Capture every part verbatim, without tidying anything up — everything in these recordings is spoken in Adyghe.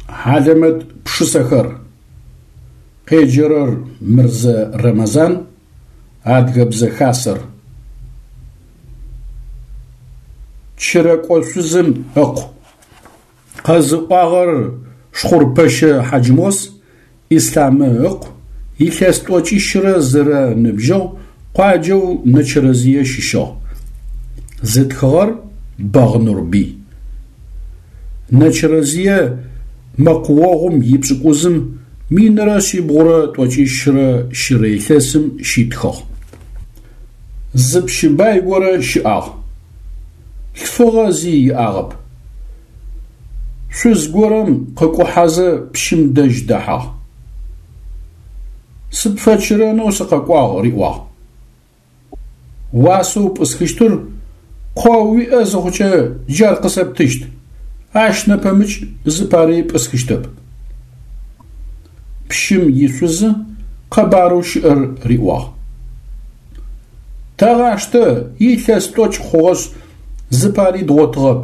Хьалэмэт пшысэхэр. Къеджэрэр Мырзэ Рэмэзан, Адыгэбзэ Хасэр. Чырэкӏо шъузым ыкъу. Къэзыӏуагъэр Шхъурпэщэ Хьаджмос, Ислъамы ыкъу, илъэс тӏокӏищрэ зырэ ыныбжьыгъ, къуаджэу Нэчэрэзые щыщыгъ. Зытхыгъэр Бэгъ Нурбый. Нэчэрэзые мэкъуогъум ипшӏыкӏузым минрэ шъибгъурэ тӏокӏищрэ щырэ илъэсым щитхыгъ. Зы пщы бай горэ щыӏагъ. Лъфыгъэ зи иӏагъэп. Шъуз горэм къыкӏухьэзэ пщым дэжь дэхьагъ. Сыпфэчырэнэу сыкъэкӏуагъ, риӏуагъ. Уасэу пӏысхыщтыр къо уиӏэ зыхъукӏэ джар къысэптыщт, ащ нэпэмыкӏ зыпари пӏысхыщтэп. Пщым ишъузы къэбарэу щыӏэр риӏуагъ. Тэгъаштэ, илъэс тӏокӏ хъугъэшъ зыпари дгъотыгъэп,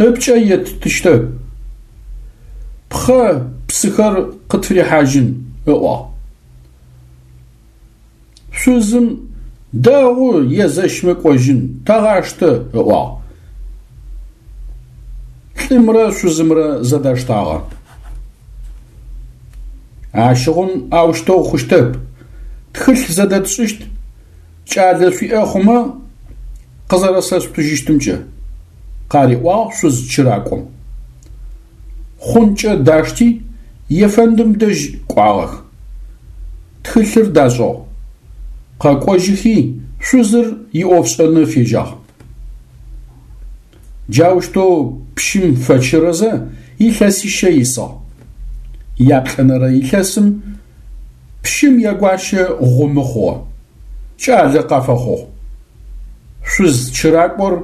ыпкӏэ еттыщтэп, пхъэ псыхэр къытфырихьажьын, ыӏуагъ. Шъузым дэгъу езэщмэ кӏожьын, тэгъаштэ, ыӏуагъ. Лӏымрэ шъузымрэ зэдаштагъэ. Ащыгъум аущтэу хъущтэп, тхылъ зэдэтшӏыщт, кӏалэ шъуиӏэ хъумэ къызэрэсэшъутыжьыщтымкӏэ, къариӏуагъ шъуз чыракӏом. Хъункӏэ дашти, ефэндым дэжь кӏуагъэх. Тхылъыр дашӏыгъ. Къэкӏожьыхи шъузыр иӏофшӏэны фежьагъ. Джаущтэу пщым фэчырэзэ илъэсищэ исыгъ. Яплӏэнэрэ илъэсым пщым ягуащэ гъумы хъугъэ. Кӏалэ къафэхъугъ. Шъуз чыракӏор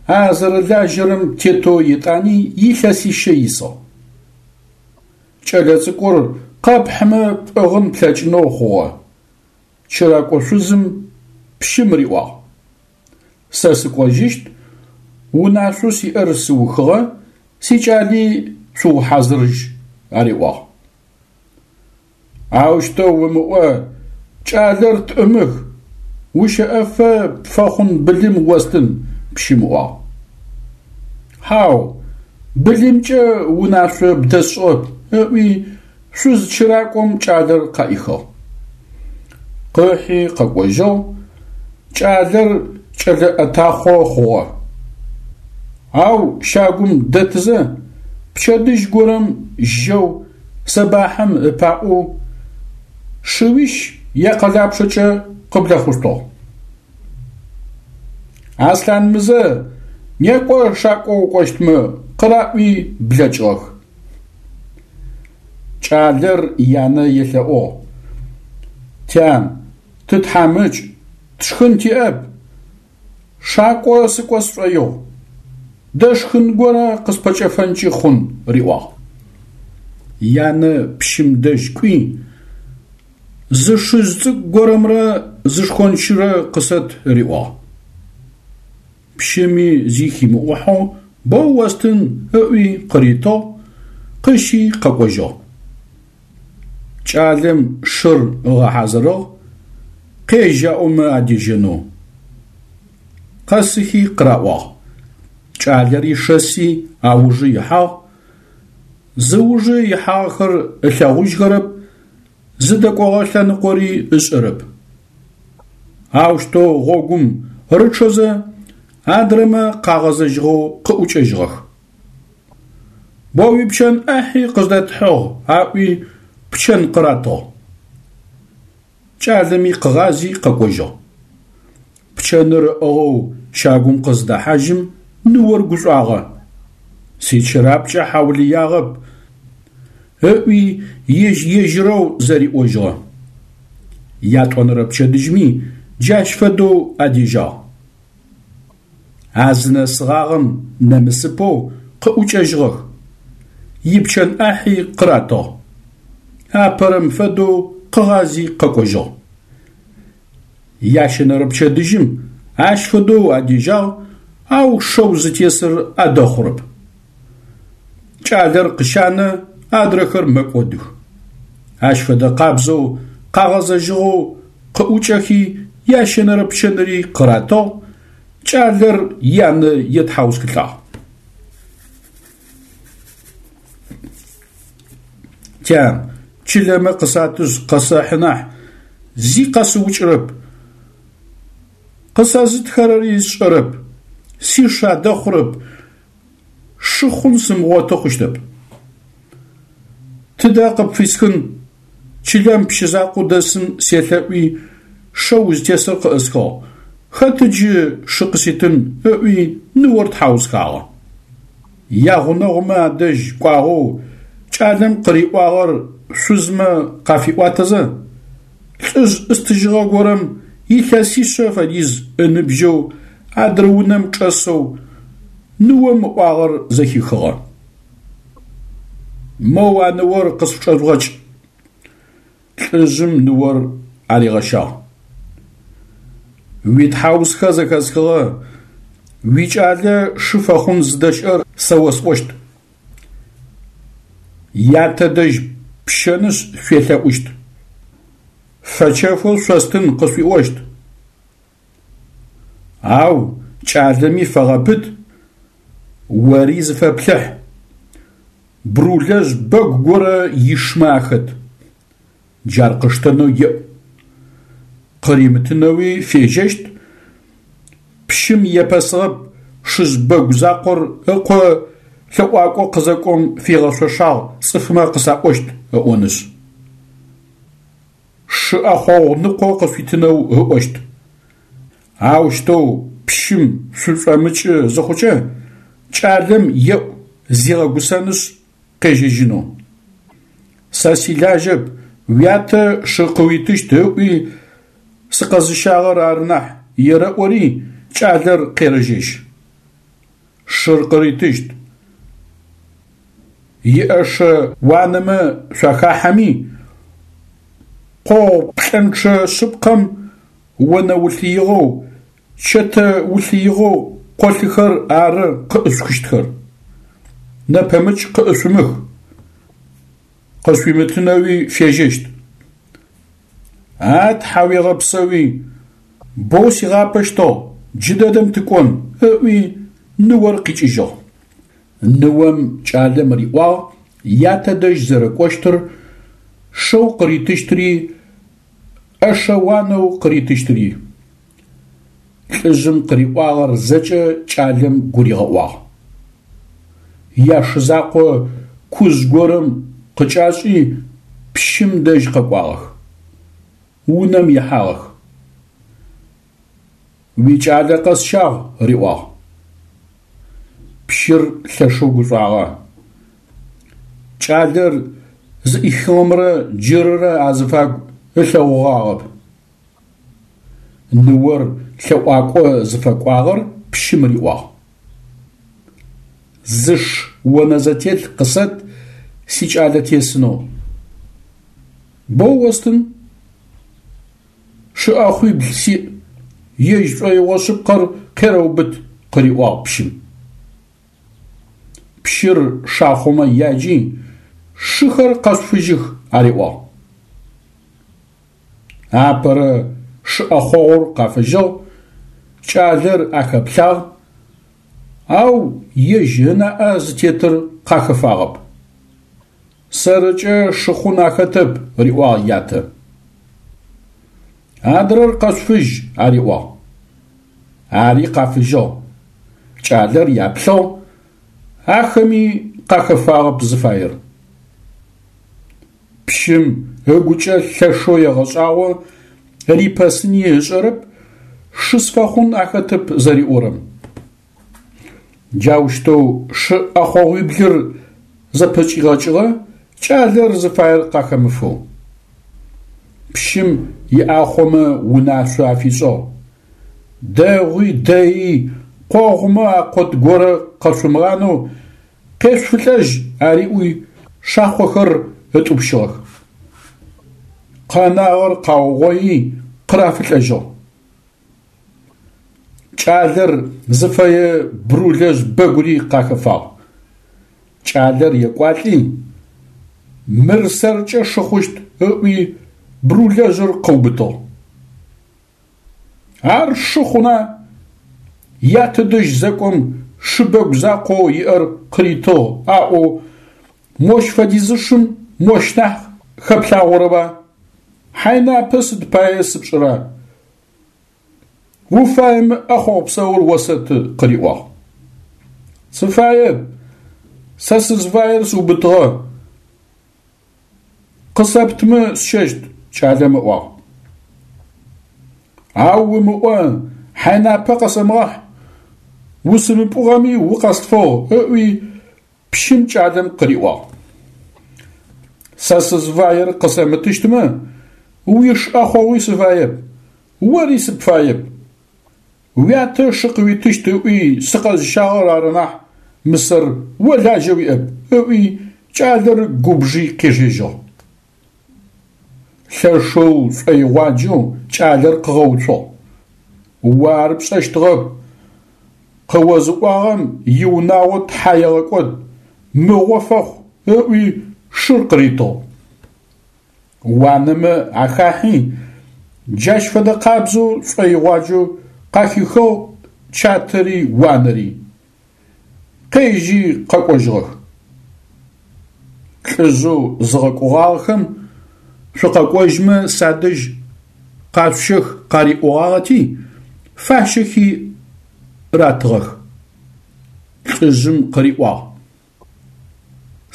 а зэрэлажьэрэм тетэу етӏани илъэсищэ исыгъ. Кӏэлэцӏыкӏур къэпхьымэ пӏыгъын плъэкӏынэу хъугъэ. Чыракӏо шъузым пщым риӏуагъ: Сэ сыкӏожьыщт, унашъоу сиӏэр сыухыгъэ, сикӏали шъуухьазырыжь, ариӏуагъ. Аущтэу умыӏо, кӏалэр тӏымых, ущэӏэфэ пфэхъун былым остын, пщым ыӏуагъ. Хьау, былымкӏэ унашъо бдэсшӏыгъэп, ыӏуи шъуз чыракӏом кӏалэр къаӏихыгъ. Къыхьи къэкӏожьыгъ, кӏалэр кӏэлэ ӏэтахъо хъугъэ. Ау щагум дэтызэ пчэдыжь горэм жьэу сэбахьым ыпаӏоу шыуищ якъэлапчъэкӏэ къыблэхъущтыгъ. Аслъанмызэ, некӏо шакӏо укӏощтмэ, къыраӏуи блэкӏыгъэх. Кӏалэр янэ елъэӏугъ: Тян, тытхьамыкӏ, тшхын тиӏэп, шакӏо сыкӏо сшӏоигъу, дэшхын горэ къыспэкӏэфэнкӏи хъун, риӏуагъ. Янэ пщым дэжь кӏуи, зы шыжъ цӏыкӏу горэмрэ зы шхончырэ къысэт риӏуагъ. Пщыми зи химыӏухьэу боу остын ыӏуи къыритыгъ, къыщи къэкӏожьыгъ. Кӏалэм шыр ыгъэхьазырыгъ, къежь аӏомэ адежьэнэу. Къэсыхи къыраӏуагъ. Кӏалэри шэси аужы ихьагъ, зыужы ихьагъэхэр ылъэгъужьхэрэп, зыдэкӏогъэ лъэныкъори ышӏэрэп. Аущтэу гъогум рычъэзэ адрэмэ къагъэзэжьыгъэу къыӏукӏэжьыгъэх. О уипчэн ӏахьи къыздэтхьыгъ, аӏуи пчэн къыратыгъ. Кӏалэми къыгъази къэкӏожьыгъ. Пчэныр ыӏыгъэу щагум къыздэхьажьым ныор гушӏуагъэ. Сичырапкӏэ хьаулыягъэп, ыӏуи ежь-ежьырэу зэриӏожьыгъэ. Ятӏонэрэ пчэдыжьми джащ фэдэу адежьагъ. А зынэсыгъагъэм нэмысыпэу къыӏукӏэжьыгъэх. Ипчэн ӏахьи къыратыгъ. Апэрэм фэдэу къыгъази къэкӏожьыгъ. Ящэнэрэ пчэдыжьым ащ фэдэу адежьагъ, ау шэу зытесыр адэхъурэп. Кӏалэр къыщанэ, адрэхэр мэкӏодых. Ащ фэдэ къабзэу къагъэзэжьыгъэу къыӏукӏэхи ящэнэрэ пчэныри къыратыгъ, кӏалэр янэ етхьаусхылӏагъ. Тян, чылэмэ къысатышъ къэсэхьы нахь, зи къэсыукӏырэп. Къысэзытхэрэри сшӏэрэп, сиш адэхъурэп, шыхъун сымыгъоты хъущтэп. Тыдэ къыпфисхын, чылэм пщы закъоу дэсым селъэӏуи шэу узтесыр къыӏысхыгъ, хэты джы шы къыситын, ыӏуи ныор тхьаусхагъэ. Ягъунэгъумэ адэжь кӏуагъэу кӏалэм къыриӏуагъэр шъузмэ къафиӏуатэзэ, лӏыжъ ӏыстыжьыгъэ горэм илъэсишъэ фэдиз ыныбжьэу адрэ унэм чӏэсэу ныом ыӏуагъэр зэхихыгъэ. Моу а ныор къысфычӏэжъугъэкӏ. Лӏыжъым ныор аригъэщагъ. Уитхьаусхэ зэхэсхыгъэ, уикӏалэ шы фэхъун зыдэщыӏэр сэ осӏощт. Ятэ дэжь пщэнышъ шъуелъэӏущт. Фэчэфэу шъостын къышъуиӏощт. Ау кӏалэми фэгъэпыт, ори зыфэплъыхь. Брулэжъ бэгу горэ ишмэ ахэт. Джар къыштэнэу еӏу. Къыримытынэуи фежьэщт. Пщым епэсыгъэп шыжъ бэгу закъор ыкъо лъэӏуакӏо къызэкӏом фигъэшъошагъ цӏыфмэ къысаӏощт ыӏонышъ. Шы ӏэхъогъу ныкъо къышъуитынэу ыӏощт. Аущтэу пщым шъушӏомыкӏы зыхъукӏэ, кӏалэм еӏу зигъэгусэнышъ къежьэжьынэу. Сэ силажьэп, уятэ шы къыуитыщт ыӏуи сыкъэзыщагъэр ары нахь ерэӏори кӏалэр къерэжьэжь. Шыр къыритыщт. Иӏэшэ уанэмэ шъуахахьэми, къогъу плӏэнчъэ шъыпкъэм онэ улъыигъэу, чэтэ улъыигъэу къолъыхэр ары къыӏышъухыщтхэр. Нэпэмыкӏ къыӏышъумых. Къышъуимытынэуи фежьэщт. А тхьауегъэпсэуи, боу сигъапэщтыгъ, джыдэдэм тыкӏон, ыӏуи ныор къикӏыжьыгъ. Ныом кӏалэм риӏуагъ ятэ дэжь зэрэкӏощтыр, шэу къыритыщтыри, ӏэшэ уанэу къыритыщтыри. Лӏыжъым къыриӏуагъэр зэкӏэ кӏалэм гуригъэӏуагъ. Яшы закъо кужъ горэм къыкӏашӏи пщым дэжь къэкӏуагъэх. Унэм ихьагъэх. Уикӏалэ къэсщагъ, риӏуагъ. Пщыр лъэшэу гушӏуагъэ. Кӏалэр зыӏихыгъэмрэ джырырэ азыфагу ылъэгъугъагъэп. Ныор лъэӏуакӏо зыфэкӏуагъэр пщым риӏуагъ. Зы ш онэзэтелъ къысэт сикӏалэ тесынэу. Боу остын. Шы ӏэхъуибл сиӏ, ежь шӏоигъо шъыпкъэр къерэубыт, къыриӏуагъ пщым. Пщыр шахъомэ яджи, шыхэр къэшъуфыжьых ариӏуагъ. Апэрэ шы ӏэхъогъур къафыжьыгъ, кӏалэр ахэплъагъ, ау ежь ынаӏэ зытетыр къахэфагъэп. Сэрыкӏэ шыхъун ахэтэп, риӏуагъ ятэ. Адрэр къэшъуфыжь, ариӏуагъ. Ари къафыжьыгъ. Кӏалэр яплъыгъ, ахэми къахэфагъэп зыфаер. Пщым ыгукӏэ лъэшэу егъэшӏагъо, рипэсыни ышӏэрэп, шы сфэхъун ахэтэп зэриӏорэм. Джаущтэу шы ӏэхъогъуиблыр зэпэкӏигъэкӏыгъэ, кӏалэр зыфаер къахэмыфэу. Пщым иӏахъомэ унашъо афишӏыгъ: Дэгъуи дэий къогъумэ акъот горэ къэшъумыгъанэу къешъуфылӏэжь ариӏуи шахъохэр ытӏупщыгъэх. Къэнагъэр къаугъои къырафылӏэжьыгъ. Кӏалэр зыфэе Брулэжъ бэгури къахэфагъ. Кӏалэр екӏуалӏи, мыр сэркӏэ шы хъущт ыӏуи брулэжъыр къыубытыгъ. Ар шы хъуна? Ятэ дэжь зэкӏом шыбэгу закъоу иӏэр къыритыгъ аӏоу мощ фэдизышым мощ нахь хэплъагъорэба? Хьайнапэ сыд пае сыпшӏыра? Уфаемэ ӏэхъогъу псаур осэты, къыриӏуагъ. Сыфаеп, сэ сызфаер сыубытыгъэ, къысэптымэ сщэщт, кӏалэм ыӏуагъ. Ау умыӏо, хьайнапэ къэсэмыгъахь, усымыпӏугъэми укъэслъфыгъ, ыӏуи пщым кӏалэм къыриӏуагъ. Сэ сызфаер къысэмытыщтмэ, уиш ӏэхъогъуи сыфаеп, ори сыпфаеп. Уятэ шы къыуитыщт ыӏуи сыкъэзыщагъэр ары нахь, мысэр о лажьэ уиӏэп, ыӏуи кӏалэр губжи къежьэжьыгъ. Лъэшэу шӏоигъуаджэу кӏалэр къыгъэуцугъ. О ар пшӏэщтыгъэп, къыозыӏуагъэм иунагъо тхьа егъэкӏод, мыгъо фэхъу, ыӏуи шыр къыритыгъ. Уанэмэ ахахьи, джащ фэдэ къабзэу шӏоигъуаджэу къахихыгъ чатэри уанэри. Къежьи къэкӏожьыгъэх. Лӏыжъэу зыгъэкӏогъагъэхэм шъукъэкӏожьмэ садэжь къашъущэх къариӏогъагъэти, фащэхи ратыгъэх. Лӏыжъым къыриӏуагъ: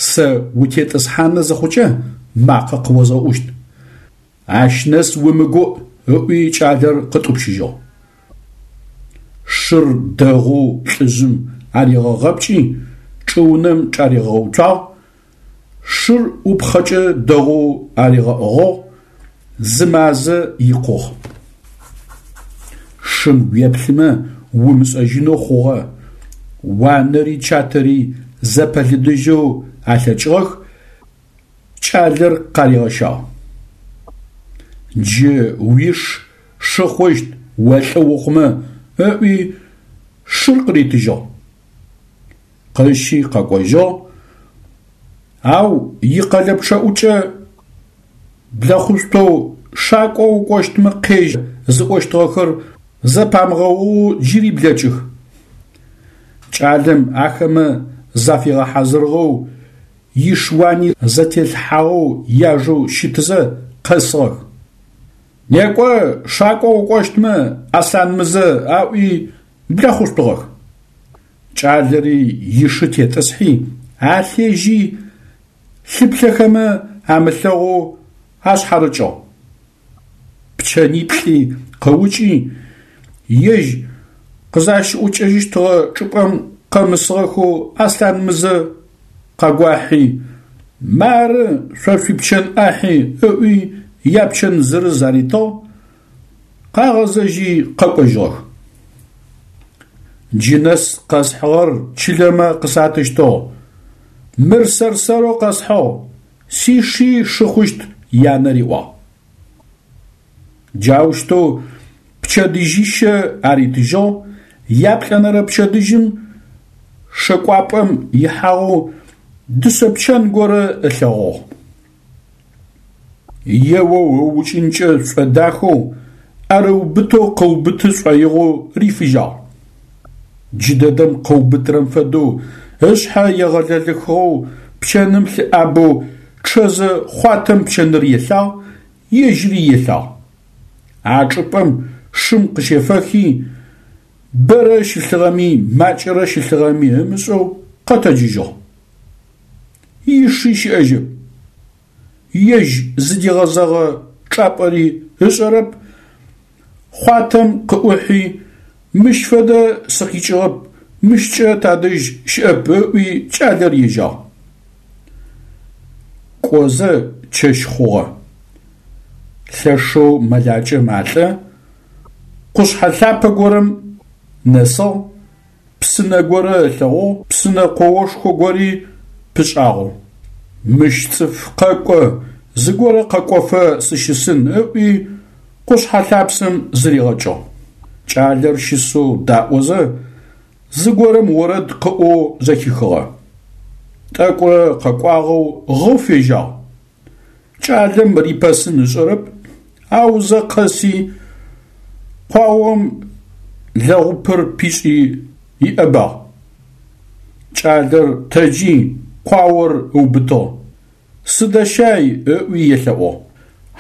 Сэ утетӏысхьанэ зыхъукӏэ макъэ къыозгъэӏущт. Ащ нэс умыгуӏ, ыӏуи кӏалэр къытӏупщыжьыгъ. Шыр дэгъоу лӏыжъым аригъэгъэпкӏи, чӏыунэм чӏаригъэуцуагъ, шыр ӏупхъэкӏэ дэгъоу аригъэӏыгъыгъ, зы мазэ икъугъ. Шым уеплъымэ умышӏэжьынэу хъугъэ, уанэри чатэри зэпэлыдыжьэу алъэкӏыгъэх, кӏалэр къаригъэщагъ. Джы уиш шы хъущт о лӏы ухъумэ, ыӏуи шыр къыритыжьыгъ. Къыщи къэкӏожьыгъ, ау икъэлэпчъэӏукӏэ блэхъушъоу шакӏо укӏощтмэ къежь зыӏощтыгъэхэр зэпамыгъэоу джыри блэкӏых. Кӏалэм ахэмэ зафигъэхьазырыгъэу иш-уани зэтелъхьагъэу яжэу щытызэ къэсыгъэх. Некӏо, шакӏо укӏощтмэ, Аслъанмызэ, аӏуи блэхъушъутыгъэх. Кӏалэри ишы тетӏысхьи, алъежьи, лъыплъэхэмэ амылъэгъоу ашъхьарыкӏыгъ. Пчэниплӏи къыукӏи, ежь къызащыӏукӏэжьыщтыгъэ чӏыпӏэм къэмысыгъэхэу Аслъанмызэ къагуахьи, мары шъо шъуипчэн ӏахьи ыӏуи япчэн зырыз аритыгъ, къагъэзэжьи къэкӏожьыгъэх. Джы нэс къэсхьыгъэр чылэмэ къысатыщтыгъ, мыр сэр-сэрэу къэсхьыгъ, сиши шы хъущт, янэ риӏуагъ. Джаущтэу пчэдыжьыщэ аритыжьыгъ, яплӏэнэрэ пчэдыжьым шэкӏуапӏэм ихьагъэу дышъэ пчэн горэ ылъэгъугъ. Еоу ыукӏынкӏэ шӏодахэу, ӏэрыубытэу къыубыты шӏоигъоу рифыжьагъ. Джыдэдэм къыубытырэм фэдэу ышъхьэ егъэлэлэхыгъэу пчэным лъыӏабэу чъэзэ хъуатэм пчэныр елъагъ, ежьыри елъагъ. А чӏыпӏэм шым къыщефэхи, бэрэ щылъыгъэми макӏэрэ щылъыгъэми ымышӏэу къэтэджыжьыгъ. Иши щыӏэжьэп. Ежь зыдигъэзэгъэ чӏапӏэри ышӏэрэп, хъуатэм къыӏухьи, мыщ фэдэ сыкъикӏыгъэп, мыщкӏэ тадэжь щыӏэп ыӏуи кӏалэр ежьагъ. Кӏозэ чэщ хъугъэ. Лъэшэу мэлакӏэ малӏэ, къушъхьэ лъапэ горэм нэсыгъ, псынэ горэ ылъэгъугъ, псынэ къоошхо гори пышӏагъэу. Мыщ цӏыф къэкӏо, зыгорэ къэкӏофэ сыщысын ыӏуи къушъхьэ лъапсэм зыригъэкӏыгъ. Кӏалэр щысэу даӏозэ, зыгорэм орэд къыӏоу зэхихыгъэ. Тӏэкӏурэ къэкӏуагъэу гъэу фежьагъ. Кӏалэм рипэсын ышӏэрэп, аузэ къэси къуаом лэгъупыр пишӏи иӏэбагъ. Кӏалэр тэджи къуаор ыубытыгъ. Сыдэщай ыӏуи елъэӏугъ.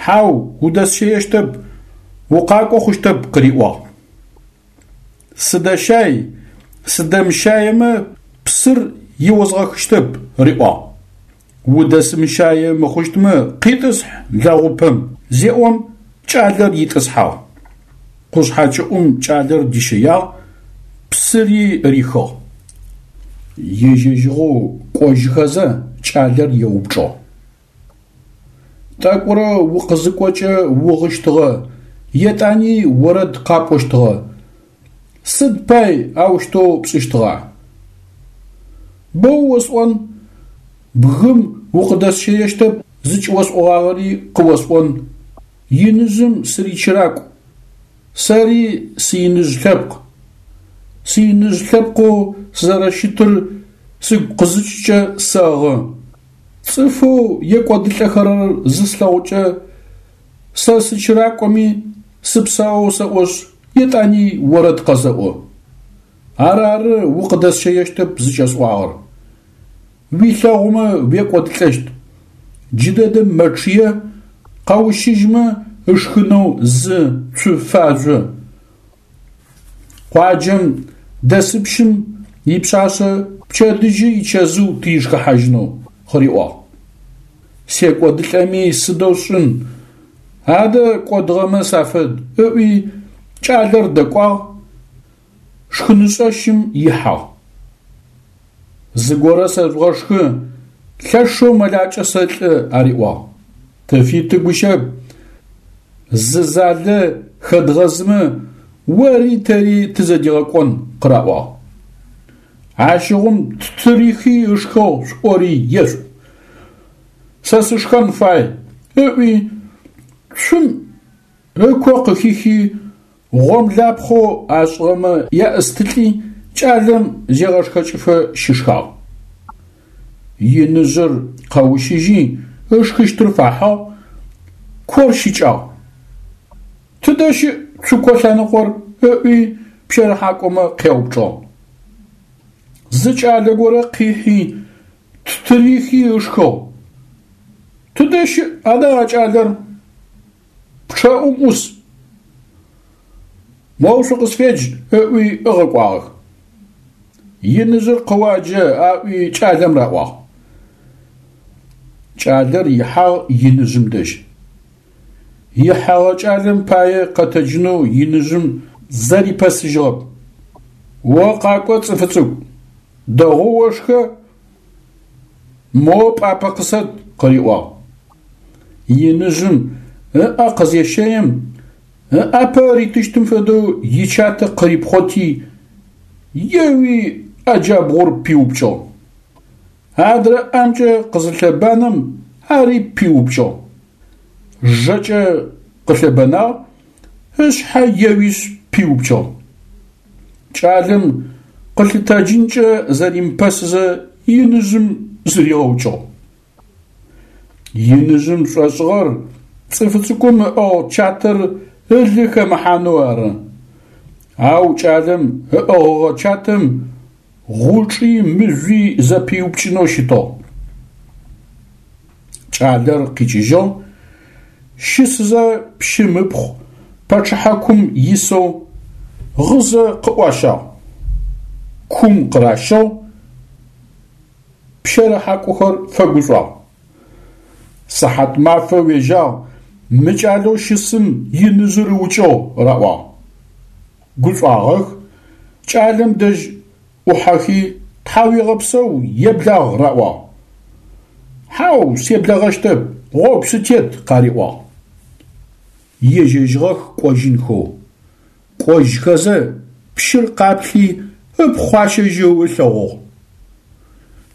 Хьау, удэсщэещтэп, укъакӏо хъущтэп къыриӏуагъ. Сыдэщай, сыдэмыщаемэ псыр иозгъэхыщтэп риӏуагъ. Удэсымыщае мыхъущтмэ къитӏысхь лэгъупым зеӏом кӏалэр итӏысхьагъ. Къушъхьэ кӏыӏум кӏалэр дищэягъ, псыри рихыгъ. Ежьэжьыгъэу кӏожьыхэзэ кӏалэр еупчӏыгъ. Тӏэкӏурэ укъызыкӏокӏэ угъыщтыгъэ, етӏани орэд къапӏощтыгъэ. Сыд пай аущтэу пшӏыщтыгъа? Боу осӏон, бгым укъыдэсщэещтэп зыкӏыосӏогъагъэри къыосӏон, иныжъым сыричыракӏу, сэри сыиныжъ лъэпкъ. Сыиныжъ лъэпкъэу сызэрэщытыр сыгу къызыкӏыкӏэ сэгъы. Цӏыфэу екӏодылӏэхэрэр зыслъэгъукӏэ сэ сычыракӏоми сыпсаоу сэӏошъ, етӏани орэд къэсэӏо. Арары укъыдэсщэещтэп зыкӏэсӏуагъэр. Уилъэгъумэ уекӏодылӏэщт. Джыдэдэм мэчъые, къэущыжьмэ ышхынэу зы цу фажъо. Къуаджэм дэсыпщым ипшъашъэ пчэдыжьы ичэзыу тыришхыхьажьынэу къыриӏуагъ. Секӏодылӏэми сыдэу сшӏын, адэ кӏодыгъэмэ сафэд ыӏуи кӏалэр дэкӏуагъ, шхынышӏэщым ихьагъ. Зыгорэ сэжъугъэшхы, лъэшэу мэлакӏэ сэлӏэ ариӏуагъ. Тыфиты гущэп, зы залэ хэдгъэзымэ ори тэри тызэдигъэкӏон къыраӏуагъ. Ащыгъум ттырихи ышхыгъ шъуӏори ешъуӏу. Сэ сышхэн фай ыӏуи цум ыко къыхихи гъомлапхъэу ашӏыгъэмэ яӏыстылӏи кӏалэм зегъэшхэкӏыфэ щышхагъ. Иныжъыр къэущыжьи ышхыщтыр фахьыгъ, кор щыкӏагъ. Тыдэ щыӏ цуко лъэныкъор? Ыӏуи пщэрыхьакӏомэ къяупчӏыгъ. Зы кӏалэ горэ къихьи ттырихи ышхыгъ. Тыдэ щыӏ адэ а кӏалэр? Пчъэӏум ӏус. Моу шъукъысфедж, ыӏуи ыгъэкӏуагъэх. Иныжъыр къыуаджэ аӏуи кӏалэм раӏуагъ. Кӏалэр ихьагъ иныжъым дэжь. Ихьэгъэ кӏалэм пае къэтэджынэу иныжъым зэрипэсыжьыгъэп. О къакӏо, цӏыфы цӏыкӏу, дэгъоу ошхэ, мо пӏапэ къысэт, къыриӏуагъ. Иныжъым ыӏэ къызещэим ыӏапэ ритыщтым фэдэу ичатэ къырипхъоти, еуи ӏэ джабгъур пиупкӏыгъ. Адрэ ӏэмкӏэ къызылъэбанэм ари пиупкӏыгъ. Жэкӏэ къылъэбэнагъ, ышъхьэ еуишъ пиупкӏыгъ. Кӏалэм къылъытэджынкӏэ зэримыпэсызэ иныжъым зыригъэукӏыгъ. Иныжъым шӏошӏыгъэр цӏыфы цӏыкӏум ыӏыгъ чатэр ылы хэмыхьанэу ары. Ау кӏалэм ыӏыгъыгъэ чатэм гъучӏи мыжъуи зэпиупкӏынэу щытыгъ. Кӏалэр къикӏыжьыгъ, щысызэ пщым ыпхъу пачъыхьакум исэу гъызэ къыӏуащагъ. Кум къыращыгъ, пщэрыхьакӏохэр фэгушӏуагъ. Сыхьатмафэ уежьагъ, мы кӏалэу щысым иныжъыр ыукӏыгъ раӏуагъ. Гушӏуагъэх, кӏалэм дэжь ӏухьэхи тхьауегъэпсэу еблагъ раӏуагъ. Хьау, себлэгъэщтэп, гъогу сытет къариӏуагъ. Ежьэжьыгъэх кӏожьынхэу. Кӏожьхэзэ пщыр къаплъи ыпхъу ащэжьэу ылъэгъугъ.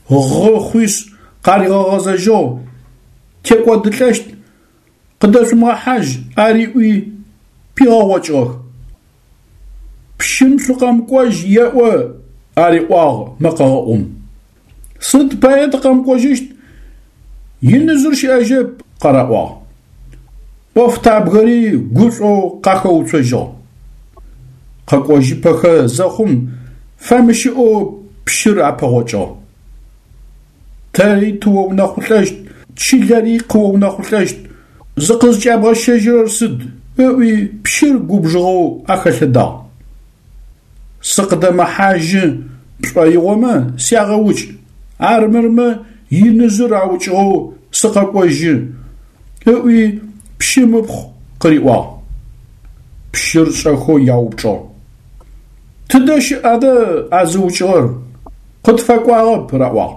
Гъы хъуишъ къаригъэгъэзэжьыгъ, текӏодылӏэщт, къыдэшъумыгъэхьажь ариӏуи пигъэгъокӏыгъэх. Пщым шъукъэмыкӏожь еӏо ариӏуагъ мэкъэгъэӏум. Сыд пае тыкъэмыкӏожьыщт? Иныжъыр щыӏэжьэп, къараӏуагъ. Ӏофтабгэри гушӏоу къахэуцожьыгъ. Къэкӏожьыпэхэ зэхъум фэмыщыӏэу пщыр апэгъокӏыгъ. Тэри тыоунэхъулӏэщт, чылэри къыоунэхъулӏэщт, зыкъызкӏябгъэщэжьырэр сыд? – ыӏуи пщыр губжыгъэу ахэлъэдагъ. Сыкъыдэмыхьажьы пшӏоигъомэ сягъэукӏ, армырмэ иныжъыр аукӏыгъэу сыкъэкӏожьы, – ыӏуи пщым ыпхъу къыриӏуагъ. Пщыр шӏэхэу яупчӏыгъ: Тыдэ щыӏ адэ а зыукӏыгъэр? Къытфэкӏуагъэп, раӏуагъ.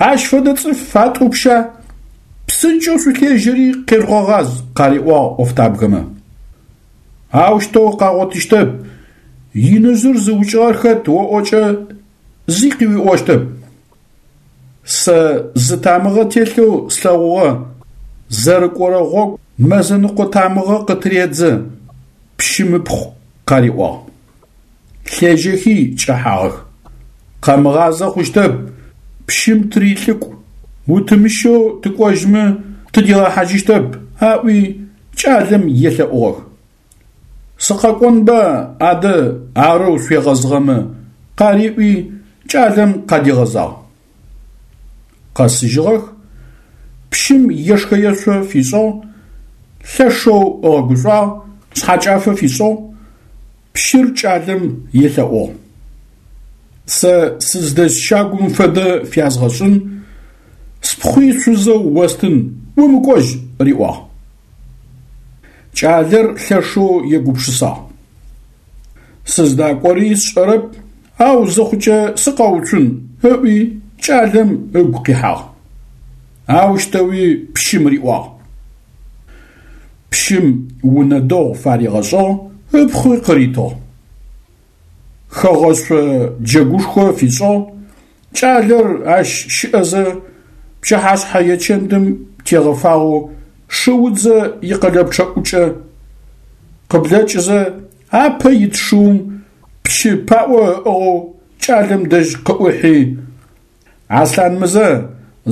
Ащ фэдэ цӏыф атӏупща? Псынкӏэу шъулъежьэри къежъугъэгъаз, къариӏуагъ ӏофтабгэмэ. Аущтэу къагъотыщтэп, иныжъыр зыукӏыгъэр хэт оӏокӏэ зи къыуиӏощтэп. Сэ зы тамыгъэ телъэу слъэгъугъэ, зэрыкӏорэ гъогу мэзэныкъо тамыгъэ къытыредзэ, пщым ыпхъу къариӏуагъ. Лъежьэхи кӏэхьагъэх. Къэмыгъазэ хъущтэп, пщым тырилӏыкӏу, утымыщэу тыкӏожьмэ тыдигъэхьажьыщтэп, аӏуи кӏалэм елъэӏугъэх. Сыкъэкӏонба адэ арэу шъуегъэзыгъэмэ, къариӏуи кӏалэм къадигъэзагъ. Къэсыжьыгъэх, пщым ешхэ-ешъо фишӏыгъ, лъэшэу ыгъэгушӏуагъ, шъхьэкӏафэ фишӏыгъ, пщыр кӏалэм елъэӏугъ. Сэ сыздэс щагум фэдэ фязгъэшӏын, спхъуи шъузэу остын, умыкӏожь, риӏуагъ. Кӏалэр лъэшэу егупшысагъ. Сыздакӏори сшӏэрэп, ау зыхъукӏэ сыкъэуцун, ыӏуи кӏалэм ыгу къихьагъ. Аущтэуи пщым риӏуагъ. Пщым унэ дэгъу фаригъэшӏыгъ, ыпхъуи къыритыгъ. Хэгъэшъо джэгушхо фишӏыгъ, кӏалэр ащ щыӏэзэ пчыхьашъхьэ ечэндым тегъэфагъэу шыудзэ икъэлэпчъэӏукӏэ къыблэкӏызэ апэ ит шыум пщы паӏо ыӏыгъэу кӏалэм дэжь къыӏухьи: Аслъанмызэ,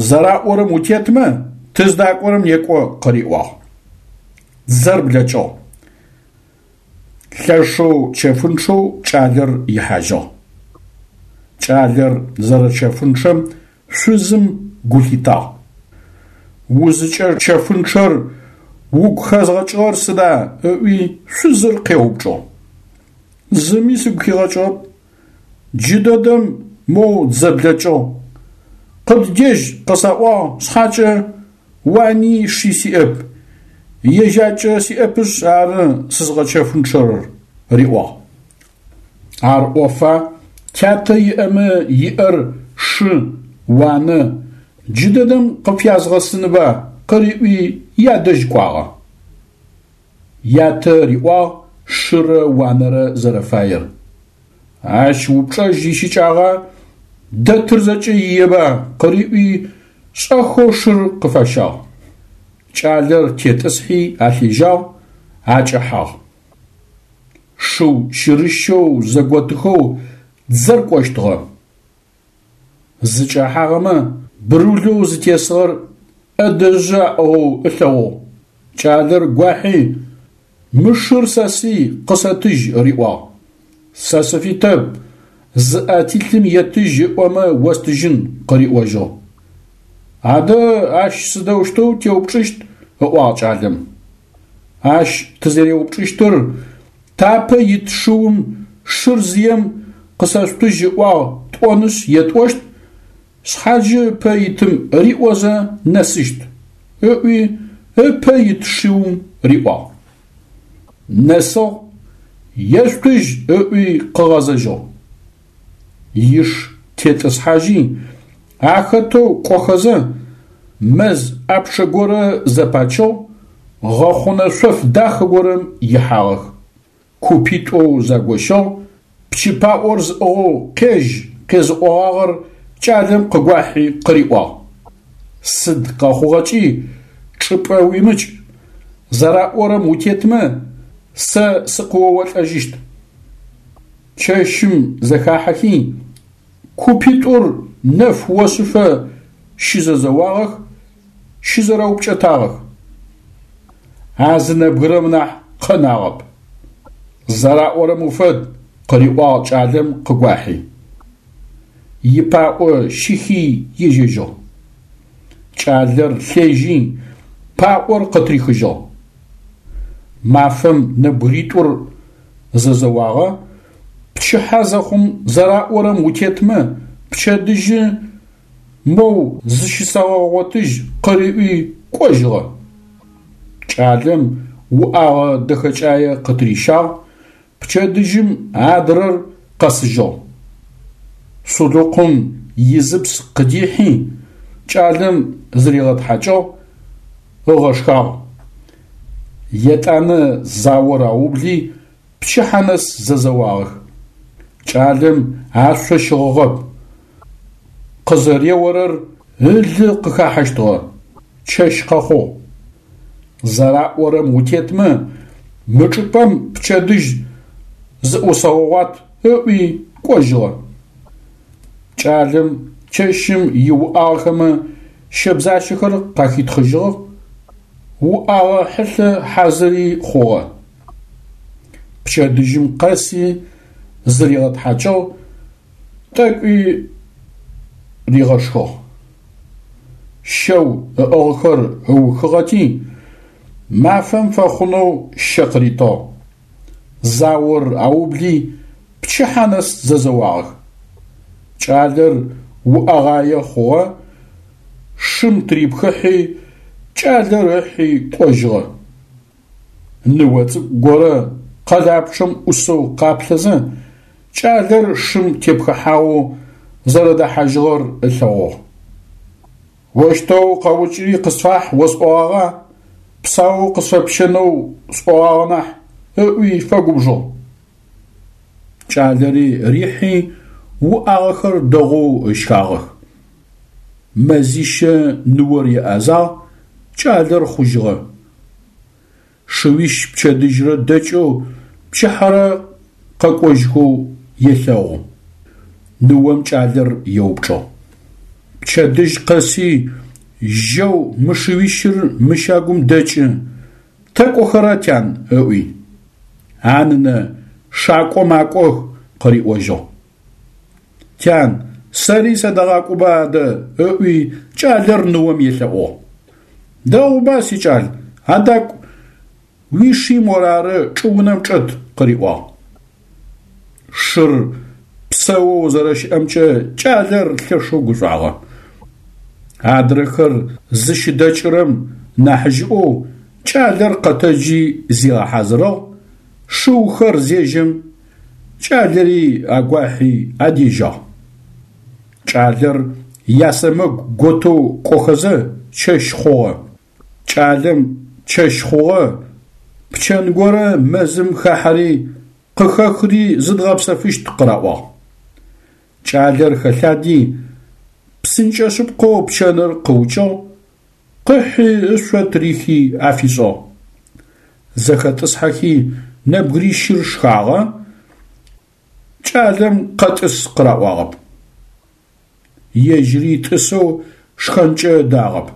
зэраӏорэм утетмэ, тыздакӏорэм некӏо, къыриӏуагъ. Дзэр блэкӏыгъ. Лъэшэу чэфынчъэу кӏалэр ихьажьыгъ. Кӏалэр зэрэчэфынчъэм шъузым гу лъитагъ. Узыкӏэчэфынчъэр угу хэзгъэкӏыгъэр сыда? – ыӏуи шъузыр къеупчӏыгъ. Зыми сыгу хигъэкӏыгъэп. Джыдэдэм моу дзэ блэкӏыгъ. Къыддежь къысаӏуагъ шъхьакӏэ уани ши сиӏэп, ежьакӏэ сиӏэпышъ ары сызгъэчэфынчъэрэр, риӏуагъ. Ар ӏофа, тятэ иӏэмэ иӏэр шы, уанэ, джыдэдэм къыпфязгъэсынба, къыриӏуи ядэжь кӏуагъэ. Ятэ риӏуагъ шырэ уанэрэ зэрэфаер. Ащ упчӏэжь ищыкӏагъа, дэтыр зэкӏэ иеба, къыриӏуи шӏэхэу шыр къыфащагъ. Кӏалэр тетӏысхьи алъежьагъ, акӏэхьагъ. Шыу щырыщэу зэготыхэу дзэр кӏощтыгъэ. Зыкӏэхьагъэмэ брулэу зытесыгъэр ӏэдэжъы аӏыгъэу ылъэгъугъ. Кӏалэр гуахьи: Мы шыр сэсый, къысэтыжь, риӏуагъ. Сэ сыфитэп, зыӏэ телъым етыжь ыӏомэ остыжьын, къыриӏожьыгъ. Адэ ащ сыдэущтэу теупчӏыщт? ыӏуагъ кӏалэм. Ащ тызэреупчӏыщтыр тапэ ит шыум шыр зыем къысэшъутыжь ыӏуагъ тӏонышъ етӏощт, шъхьаджи ыпэ итым риӏозэ нэсыщт, ыӏуи ыпэ ит шыум риӏуагъ. Нэсыгъ, ешъутыжь ыӏуи къыгъэзэжьыгъ. Иш тетӏысхьажьи, ахэтэу кӏохэзэ мэз ӏапчъэ горэ зэпачыгъ, гъэхъунэ шъоф дахэ горэм ихьагъэх. Купитӏоу загощыгъ, пщы паӏор зыӏыгъэу къежь къезыӏогъагъэр кӏалэм къыгуахьи къыриӏуагъ: Сыд къэхъугъэкӏи чӏыпӏэ уимыкӏ, зэраӏорэм утетмэ, сэ сыкъыоолӏэжьыщт. Чэщым зэхахьэхи, купитӏур нэф ошъыфэ щызэзэуагъэх, щызэрэупкӏэтагъэх. А зы нэбгырэм нахь къэнагъэп. Зэраӏорэм уфэд, къыриӏуагъ кӏалэм къыгуахьи. Ипаӏо щихи ежьэжьыгъ. Кӏалэр лъежьи паӏор къытырихыжьыгъ. Мафэм нэбгыритӏур зэзэуагъэ, пчыхьэ зэхъум зэраӏорэм утетмэ, пчэдыжьы моу зыщысэгъэгъотыжь къыриӏуи кӏожьыгъэ. Кӏалэм уӏагъэ дэхэкӏае къытырищагъ, пчэдыжьым адрэр къэсыжьыгъ. Сулыкъум изыпс къыдихьи, кӏалэм зыригъэтхьакӏыгъ, ыгъэшхагъ. Етӏанэ заор аубли, пчыхьэ нэс зэзэуагъэх. Кӏалэм ашъо щыгъыгъэп, къызэреорэр ылы къыхахьэщтыгъэ, чэщ къэхъугъ. Зэраӏорэм утетмэ, мы чӏыпӏэм пчэдыжь зыӏусэгъэгъуат ыӏуи кӏожьыгъэ. Кӏалэм чэщым иуӏагъэхэмэ щэбзащэхэр къахитхъыжьыгъэх, уӏагъэ хьылъэ хьазыри хъугъэ. Пчэдыжьым къэси зыригъэтхьакӏыгъ, тӏэкӏуи ригъэшхыгъ. Щэу ыӏыгъхэр ыухыгъэти, мафэм фэхъунэу щэ къыритыгъ. Заор аубли, пчыхьэ нэс зэзэуагъэх. Кӏалэр уӏэгъае хъугъэ, шым тырипхыхьи, кӏалэр ыхьи кӏожьыгъэ. Ныо цӏыкӏу горэ къэлапчъэм ӏусэу къаплъэзэ, кӏалэр шым тепхыхьагъэу зэрэдэхьажьыгъэр ылъэгъугъ. Ощтэу къэукӏри къысфахь осӏогъагъа, псаоу къысфэпщэнэу сӏогъагъэ нахь, ыӏуи фэгубжыгъ. Кӏалэри рихьи уӏагъэхэр дэгъоу ыщагъэх. Мэзищэ ныор еӏэзагъ, кӏалэр хъужьыгъэ. Шыуищ пчэдыжьрэ дэкӏэу пчыхьэрэ къэкӏожьхэу елъэгъу. Ныом кӏалэр еупчӏыгъ: Пчэдыжь къэси жьэу мы шыуищыр мы щагум дэкӏы, тэ кӏохэра, тян? Ыӏуи. А нынэ, шакӏо макӏох, къыриӏожьыгъ. Тян, сэри садэгъакӏоба адэ, ыӏуи кӏалэр ныом елъэӏугъ. Дэгъуба, сикӏал, адакӏу, уиши морары чӏыунэм чӏэт, къыриӏуагъ. Шыр псэоу зэрэщыӏэмкӏэ кӏалэр лъэшэу гушӏуагъэ. Адрэхэр зыщыдэкӏырэм нахьыжьыӏоу кӏалэр къэтэджи зигъэхьазырыгъ, шыухэр зежьэм, кӏалэри агуахьи адежьагъ. Кӏалэр ясэмэгу готэу кӏохэзэ чэщ хъугъэ. Кӏалэм чэщ хъугъэ, пчэн горэ мэзым хахьэри къыхэхри зыдгъэпсэфыщт къыраӏуагъ. Кӏалэр хэлъади, псынкӏэ шъыпкъэу пчэныр къыукӏыгъ, къыхьи ышъо тырихи афишӏыгъ. Зэхэтӏысхьэхи нэбгырищыр шхагъэ, кӏалэм къэтӏыс къыраӏуагъэп. Ежьыри тӏысэу шхэнкӏэ ыдагъэп.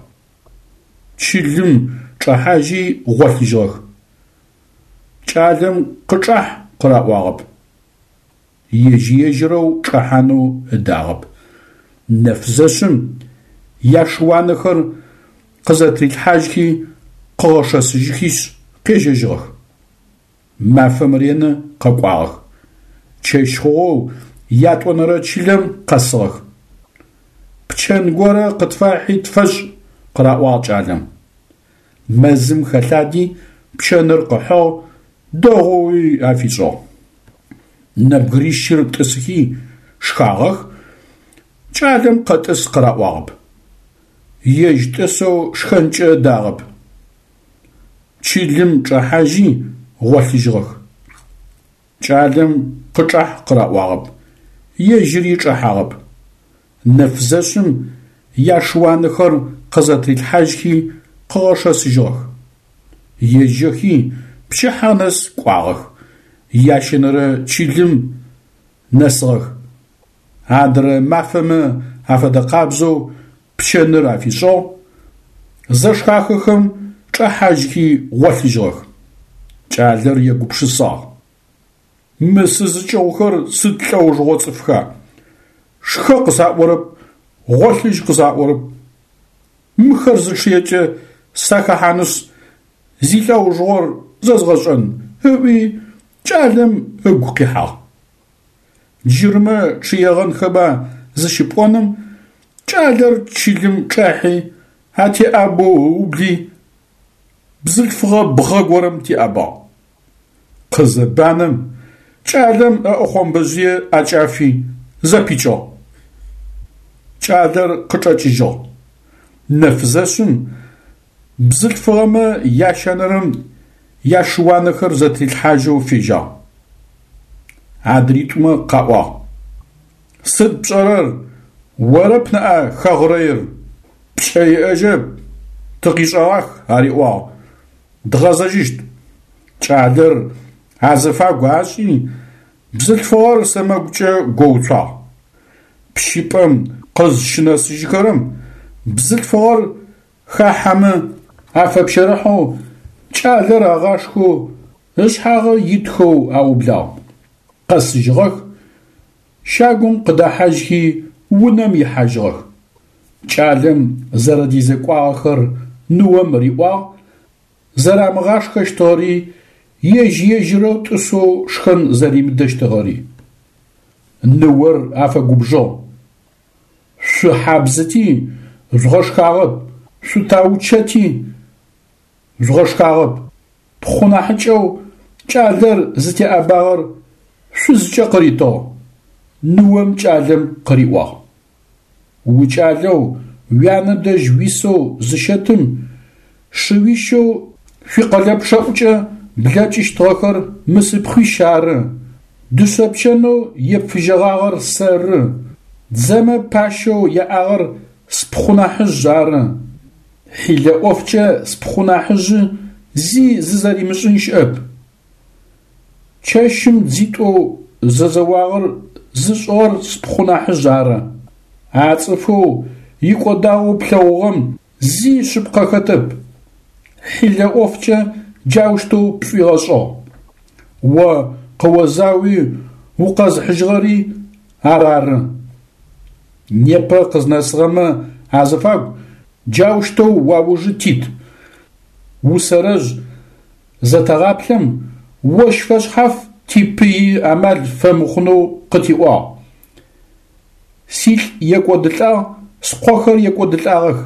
Чылым чӏэхьажьи гъолъыжьыгъэх. Кӏалэм къычӏахь къыраӏуагъэп. Ежь-ежьырэу чӏэхьанэу ыдагъэп. Нэф зэшъым яшыуанэхэр къызэтырилъхьажьхи къыгъэшэсыжьхишъ къежьэжьыгъэх. Мафэм ренэ къэкӏуагъэх. Чэщ хъугъэу ятӏонэрэ чылэм къэсыгъэх. Пчэн горэ къытфахьи тфэшӏ, къыраӏуагъ кӏалэм. Мэзым хэлъади пчэныр къыхьыгъ, дэгъоуи афишӏыгъ. Нэбгырищыр тӏысыхи шхагъэх, кӏалэм къэтӏыс къыраӏуагъэп. Ежь тӏысэу шхэнкӏэ ыдагъэп. Чылым чӏэхьажьи гъолъыжьыгъэх. Кӏалэм къычӏахь къыраӏуагъэп, ежьыри чӏэхьагъэп. Нэф зэшъым яшыуанэхэр къызэтырилъхьажьхи къыгъэшэсыжьыгъэх. Ежьэхи пчыхьэ нэс кӏуагъэх, ящэнэрэ чылым нэсыгъэх. Адрэ мафэмэ афэдэкъабзэу пчэныр афишӏыгъ, зэшхахэхэм чӏэхьажьхи гъолъыжьыгъэх. Кӏалэр егупшысагъ: Мы сызыкӏыгъухэр сыд лӏэужыгъо цӏыфха? Шхэ къысаӏорэп, гъолъыжь къысаӏорэп. Мыхэр зычъыекӏэ сахэхьанышъ, зилӏэужыгъор зэзгъэшӏэн, ыӏуи кӏалэм ыгу къихьагъ. Джырмэ чъыегъэнхэба зыщыпӏоным, кӏалэр чылым чӏахьи, атеӏабэу ыубли, бзылъфыгъэ бгъэ горэм теӏэбагъ. Къызэбанэм, кӏалэм ыӏэхъомбэжъые ӏэкӏафи, зэпичыгъ. Кӏалэр къычӏэкӏыжьыгъ. Нэф зэшъым бзылъфыгъэмэ ящэнэрэм яшыуанэхэр зэтрилъхьажьэу фежьагъ. Адритӏумэ къаӏуагъ: Сыд пшӏэрэр, орэп ныӏа хэгърэир, пкӏэ иӏэжьэп, тыкъишӏэгъах, ариӏуагъ, дгъэзэжьыщт. Кӏалэр азыфагу ашӏи, бзылъфыгъэр сэмэгукӏэ гоуцуагъ. Пщыпӏэм къызщынэсыжьхэрэм бзылъфыгъэр хахьэмэ афэпщэрыхьэу, кӏалэр агъашхэу, ышъхьагъы итхэу аублагъ. Къэсыжьыгъэх, щагум къыдэхьажьхи унэм ихьажьыгъэх. Кӏалэм зэрэдезекӏуагъэхэр ныом риӏуагъ, зэрамыгъашхэщтыгъэри, ежь-ежьырэу тӏысэу шхэн зэримыдэщтыгъэри. Ныор афэгубжыгъ: Шъухьабзыти жъугъэшхагъэп, шъутаучэти жъугъэшхагъэп, пхъу нахьыкӏэу кӏалэр зытеӏэбагъэр шъузкӏэ къыритыгъ. Ныом кӏалэм къыриӏуагъ: Укӏалэу уянэ дэжь уисэу зыщэтым шыуищэу шъуикъэлэпчъэӏукӏэ блэкӏыщтыгъэхэр мы сыпхъуищ ары, дышъэ пчэнэу епфыжьэгъагъэр сэры, дзэмэ пащэу яӏагъэр спхъу нахьыжъ ары. Хьилэ ӏофкӏэ спхъу нахьыжъы зи зызэримышӏын щыӏэп. Чэщым дзитӏоу зэзэуагъэр зышӏыгъэр спхъу нахьыжъ ары. А цӏыфэу икӏодагъэу плъэгъугъэм зи шъыпкъэ хэтэп, хьилэ ӏофкӏэ джаущтэу пшӏуигъэшӏыгъ. О къыозауи укъэзыхьыжьыгъэри ар ары. Непэ къызнэсыгъэмэ азыфагу джаущтэу уаужы тит. Усэрэжъ зэтэгъаплъэм, ощ фэшъхьаф типыи амал фэмыхъунэу къытиӏуагъ. Силӏ екӏодылӏагъ, скъохэр екӏодылӏагъэх.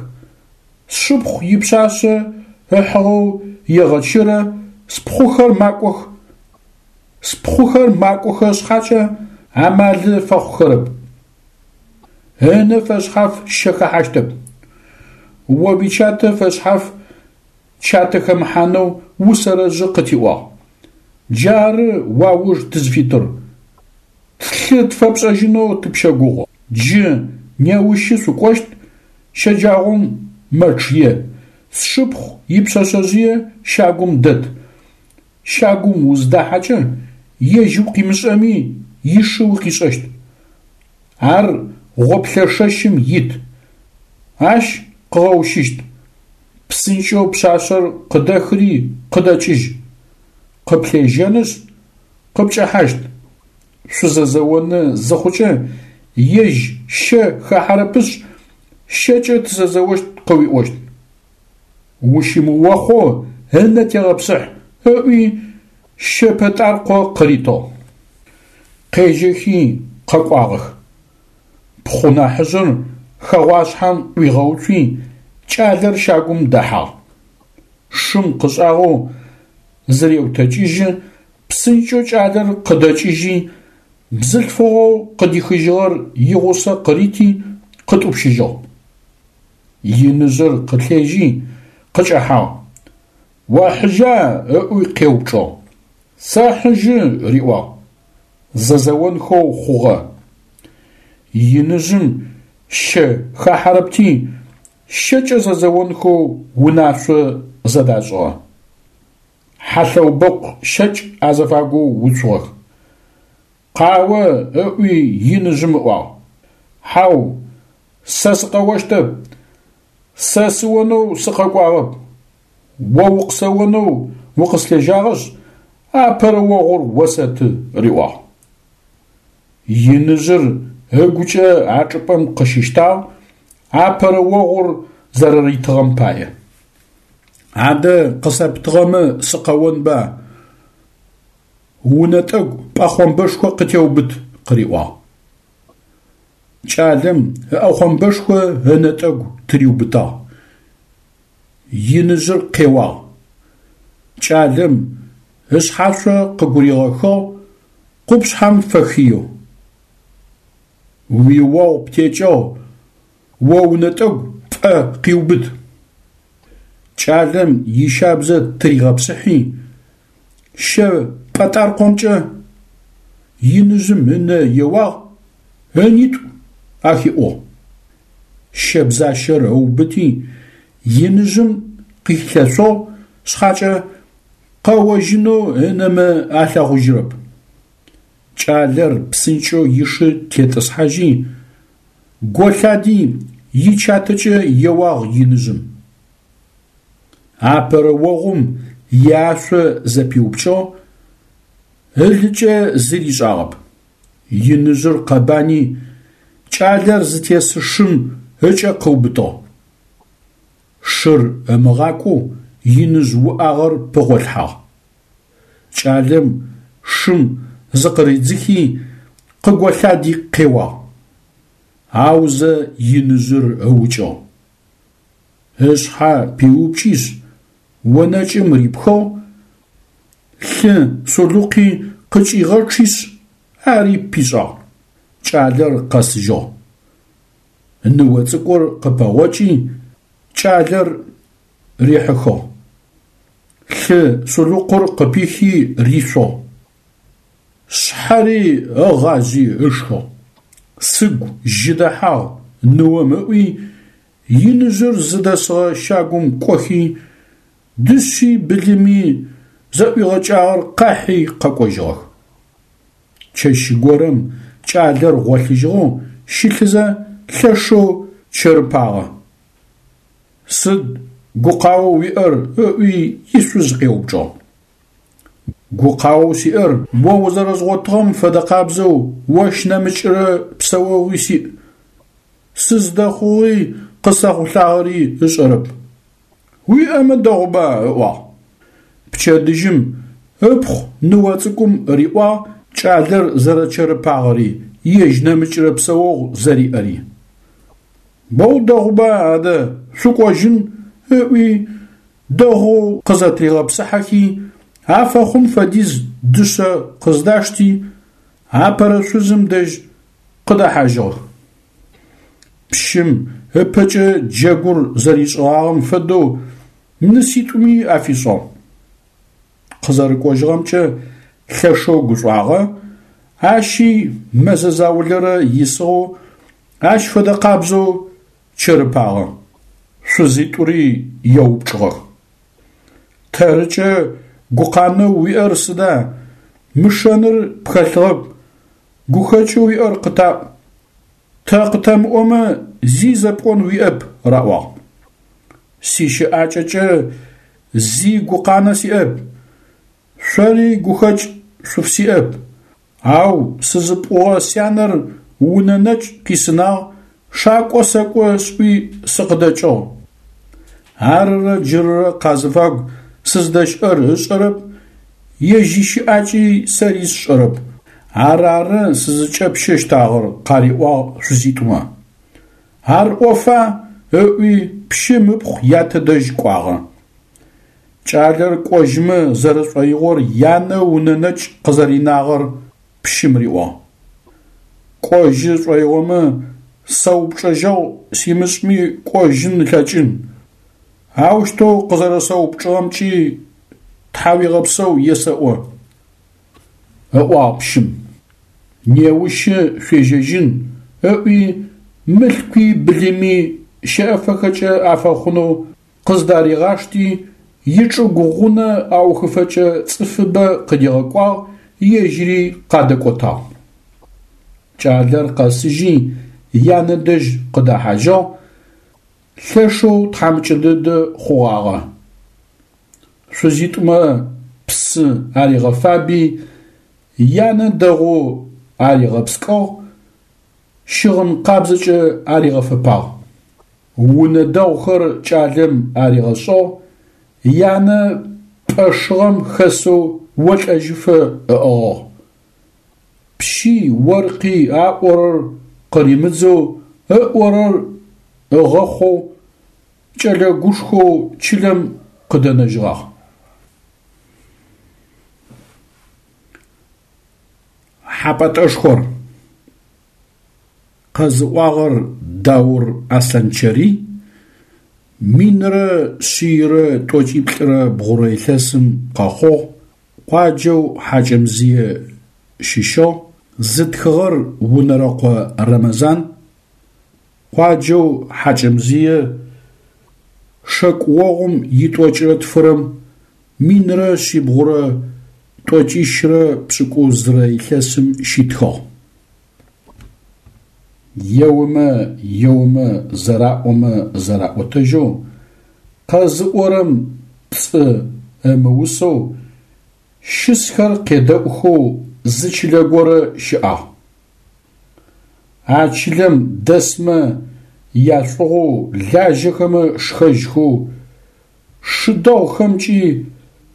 Сшыпхъу ипшъашъэ ыхьыгъэу егъэчырэ, спхъухэр макӏох, спхъухэр макӏохэ шъхьакӏэ амалы фэхъухэрэп. Ынэ фэшъхьаф щэ хэхьащтэп. О уичатэ фэшъхьаф чатэ хэмыхьанэу усэрэжъы къытиӏуагъ. Джары уауж тызфитыр. Тлъы тфэпшӏэжьынэу тыпщэгугъы. Джы неущы шъукӏощт, щэджагъом мэчъые, сшыпхъу ипшъэшъэжъые щагум дэт. Щагум узыдахьэкӏэ, ежь укъимышӏэми ишы укъишӏэщт. Ар гъоплъэ шэщым ит. Ащ къыгъэущыщт. Псынкӏэу пшъашъэр къыдэхыри къыдэкӏыжь. Къыплъежьэнышъ, къыпкӏэхьащт. Шъузэзэоны зыхъукӏэ, ежь щэ хахьэрэпышъ, щэкӏэ тызэзэощт къыуиӏощт. Ущымыохъоу ынэ тегъэпсыхь, ыӏуи щэ пэтӏаркъо къыритыгъ. Къежьэхи къэкӏуагъэх. Пхъу нахьыжъыр хэгъуашъхьэм ӏуигъэуцуи, кӏалэр щагум дэхьагъ. Шым къышӏагъэу зыреутэкӏыжьы, псынкӏэу кӏалэр къыдэкӏыжьи, бзылъфыгъэу къыдихыжьыгъэр игъусэ къырити къытӏупщыжьыгъ. Иныжъыр къылъежьи къыкӏэхьагъ. Охьыжьа? ыӏуи къеупчӏыгъ. Сэхьыжьы, риӏуагъ. Зэзэонхэу хъугъэ. Иныжъым щэ хахьэрэпти, щэкӏэ зэзэонхэу унашъо зэдашӏыгъэ. Хьалъэубэкъу щэкӏ азыфагоу уцугъэх. Къао, ыӏуи иныжъым ыӏуагъ. Хьау, Сэ сыкъэощтэп, сэ сыонэу сыкъэкӏуагъэп, о укъысэонэу укъыслъежьагъэшъ, апэрэ огъур осэты, – риӏуагъ. Иныжъыр ыгукӏэ а чӏыпӏэм къыщыщтагъ апэрэ огъур зэрэритыгъэм пае. Адэ къысэптыгъэмэ сыкъэонба, унэтӏэгу пӏэхъомбэшхо къытеубыт, – къыриӏуагъ. Кӏалэм ыӏэхъомбэшхо ынэтӏэгу тыриубытагъ. Иныжъыр къеуагъ. Кӏалэм ышъхьашъо къыгуригъэхыгъ, къупшъхьэм фэхыеу. Уиогъу птекӏыгъ, о унэтӏэгу пӏэ къиубыт. Кӏалэм ищабзэ тыригъэпсыхьи, щэ пӏэтӏаркъомкӏэ иныжъым ынэ еуагъ, ынитӏу ахиӏугъ. Щэбзащэр ыубыти, иныжъым къыхилъэшъугъ шъхьакӏэ, къэожьынэу ынэмэ алъэгъужьырэп. Кӏалэр псынкӏэу ишы тетӏысхьажьи, голъади ичатэкӏэ еуагъ иныжъым. Апэрэ огъум иашъо зэпиупкӏыгъ, ылыкӏэ зи ришӏагъэп. Иныжъыр къэбани, кӏалэр зытес шым ыкӏэ къыубытыгъ. Шыр ымыгъакӏоу иныжъ уӏагъэр пыгъолъхьагъ. Кӏалэм шым зыкъыридзыхи къыголъади къеуагъ. Аузэ иныжъыр ыукӏыгъ. Ышъхьэ пиупкӏишъ, онэкӏым рипхыгъ, лъы сулыкъуи къыкӏигъэчъишъ, ари пишӏагъ. Кӏалэр къэсыжьыгъ. Ныо цӏыкӏур къыпэгъокӏи, кӏалэр рихьыхыгъ. Лъы сулыкъур къыпихи ришъугъ. Шъхьэри ыгъажъи ышхыгъ. Сыгу жьы дэхьагъ ныом ыӏуи, иныжъыр зыдэсыгъэ щагум кӏохи, дышъи былыми зэӏуигъэкӏагъэр къахьи къэкӏожьыгъэх. Чэщ горэм кӏалэр гъолъыжьыгъэу щылъызэ лъэшэу чэрыпагъэ. Сыд гукъаоу уиӏэр? – ыӏуи ишъуз къеупчӏыгъ. Гукъаоу сиӏэр о узэрэзгъотыгъэм фэдэ къабзэу ощ нэмыкӏрэ псэогъуи сиӏ. Сыздэхъугъи къысэхъулӏагъэри ышӏэрэп. Уиӏэмэ дэгъуба, – ыӏуагъ. Пчэдыжьым ыпхъу ныо цӏыкӏум риӏуагъ кӏалэр зэрэчэрыпагъэри, ежь нэмыкӏрэ псэогъу зэриӏэри. Боу дэгъуба адэ, шъукӏожьын, – ыӏуи, дэгъоу къызэтригъэпсыхьэхи, афэхъун фэдиз дышъэ къыздашти, апэрэ шъузым дэжь къыдэхьажьыгъэх. Пщым ыпэкӏэ джэгур зэришӏыгъагъэм фэдэу ныситӏуми афишӏыгъ. Къызэрэкӏожьыгъэмкӏэ лъэшэу гушӏуагъэ, ащи мэзэ заулэрэ исыгъэу ащ фэдэ къабзэу чэрыпагъэ. Шъузитӏури еупчӏыгъэх. Тэрыкӏэ гукъанэу уиӏэр сыда, мы шэныр пхэлъыгъэп, гухэкӏэу уиӏэр къытаӏу. Тэ къытэмыӏомэ зи зэпӏон уиӏэп, раӏуагъ. Сищыӏакӏэкӏэ зи гукъанэ сиӏэп, шъори гухэкӏ шъуфсиӏэп, ау сызыпӏугъэ сянэр унэ нэкӏ къисынагъ, шакӏо сэкӏо сӏуи сыкъыдэкӏыгъ. Арырэ джырырэ къазыфагу сыздэщыӏэр ышӏэрэп, ежь ищыӏакӏи сэри сшӏэрэп. Ар ары сызыкӏэпщэщтагъэр, къариӏуагъ шъузитӏумэ. Ар ӏофа, ыӏуи пщым ыпхъу ятэ дэжь кӏуагъэ. Кӏалэр кӏожьымэ зэрэшӏоигъор янэ унэ нэкӏ къызэринагъэр пщым риӏуагъ. Кӏожьы шӏоигъомэ сэ упчӏэжьэгъу симышӏми кӏожьын ылъэкӏын. Аущтэу къызэрэсэупчӏыгъэмкӏи тхьауегъэпсэу есэӏо, ыӏуагъ пщым. Неущы шъуежьэжьын, ыӏуи мылъкуи былыми щэӏэфэхэкӏэ афэхъунэу къыздаригъашти, ичӏыгу гъунэ аухыфэкӏэ цӏыфыбэ къыдигъэкӏуагъ, ежьыри къадэкӏотагъ. Кӏалэр къэсыжьи янэ дэжь къыдэхьажьыгъ, лъэшэу тхьамыкӏэ дэдэ хъугъагъэ. Шъузитӏумэ псы аригъэфаби, янэ дэгъоу аригъэпскӏыгъ, щыгъын къабзэкӏэ аригъэфэпагъ. Унэ дэгъухэр кӏалэм аригъэшӏыгъ, янэ пӏэ шыгъэм хэсэу олӏэжьыфэ ыӏыгъыгъ. Пщи оркъи аӏорэр къыримыдзэу, ыӏорэр ыгъэхъоу, кӏэлэ гушхоу чылэм къыдэнэжьыгъагъ. Хьапӏэтӏэшхор. Къэзыӏуагъэр Даур Аслъанчэрый, минрэ шъийрэ тӏокӏиплӏырэ бгъурэ илъэсым къэхъугъ, къуаджэу Хьакӏэмзые щыщыгъ, зытхыгъэр Унэрэкъо Рэмэзан, къуаджэу Хьакӏэмзые шэкӏогъум итӏокӏрэ тфырэм минрэ шъибгъурэ тӏокӏищрэ пшӏыкӏузрэ илъэсым щитхыгъ. Еомэ еомэ зэраӏомэ зэраӏотэжьэу, къэзыӏорэм пцӏы ымыусэу, щысхэр къедэӏухэу зы чылэ горэ щыӏагъ. А чылэм дэсмэ яшӏугъоу лажьэхэмэ шхэжьхэу, шы дэгъухэмкӏи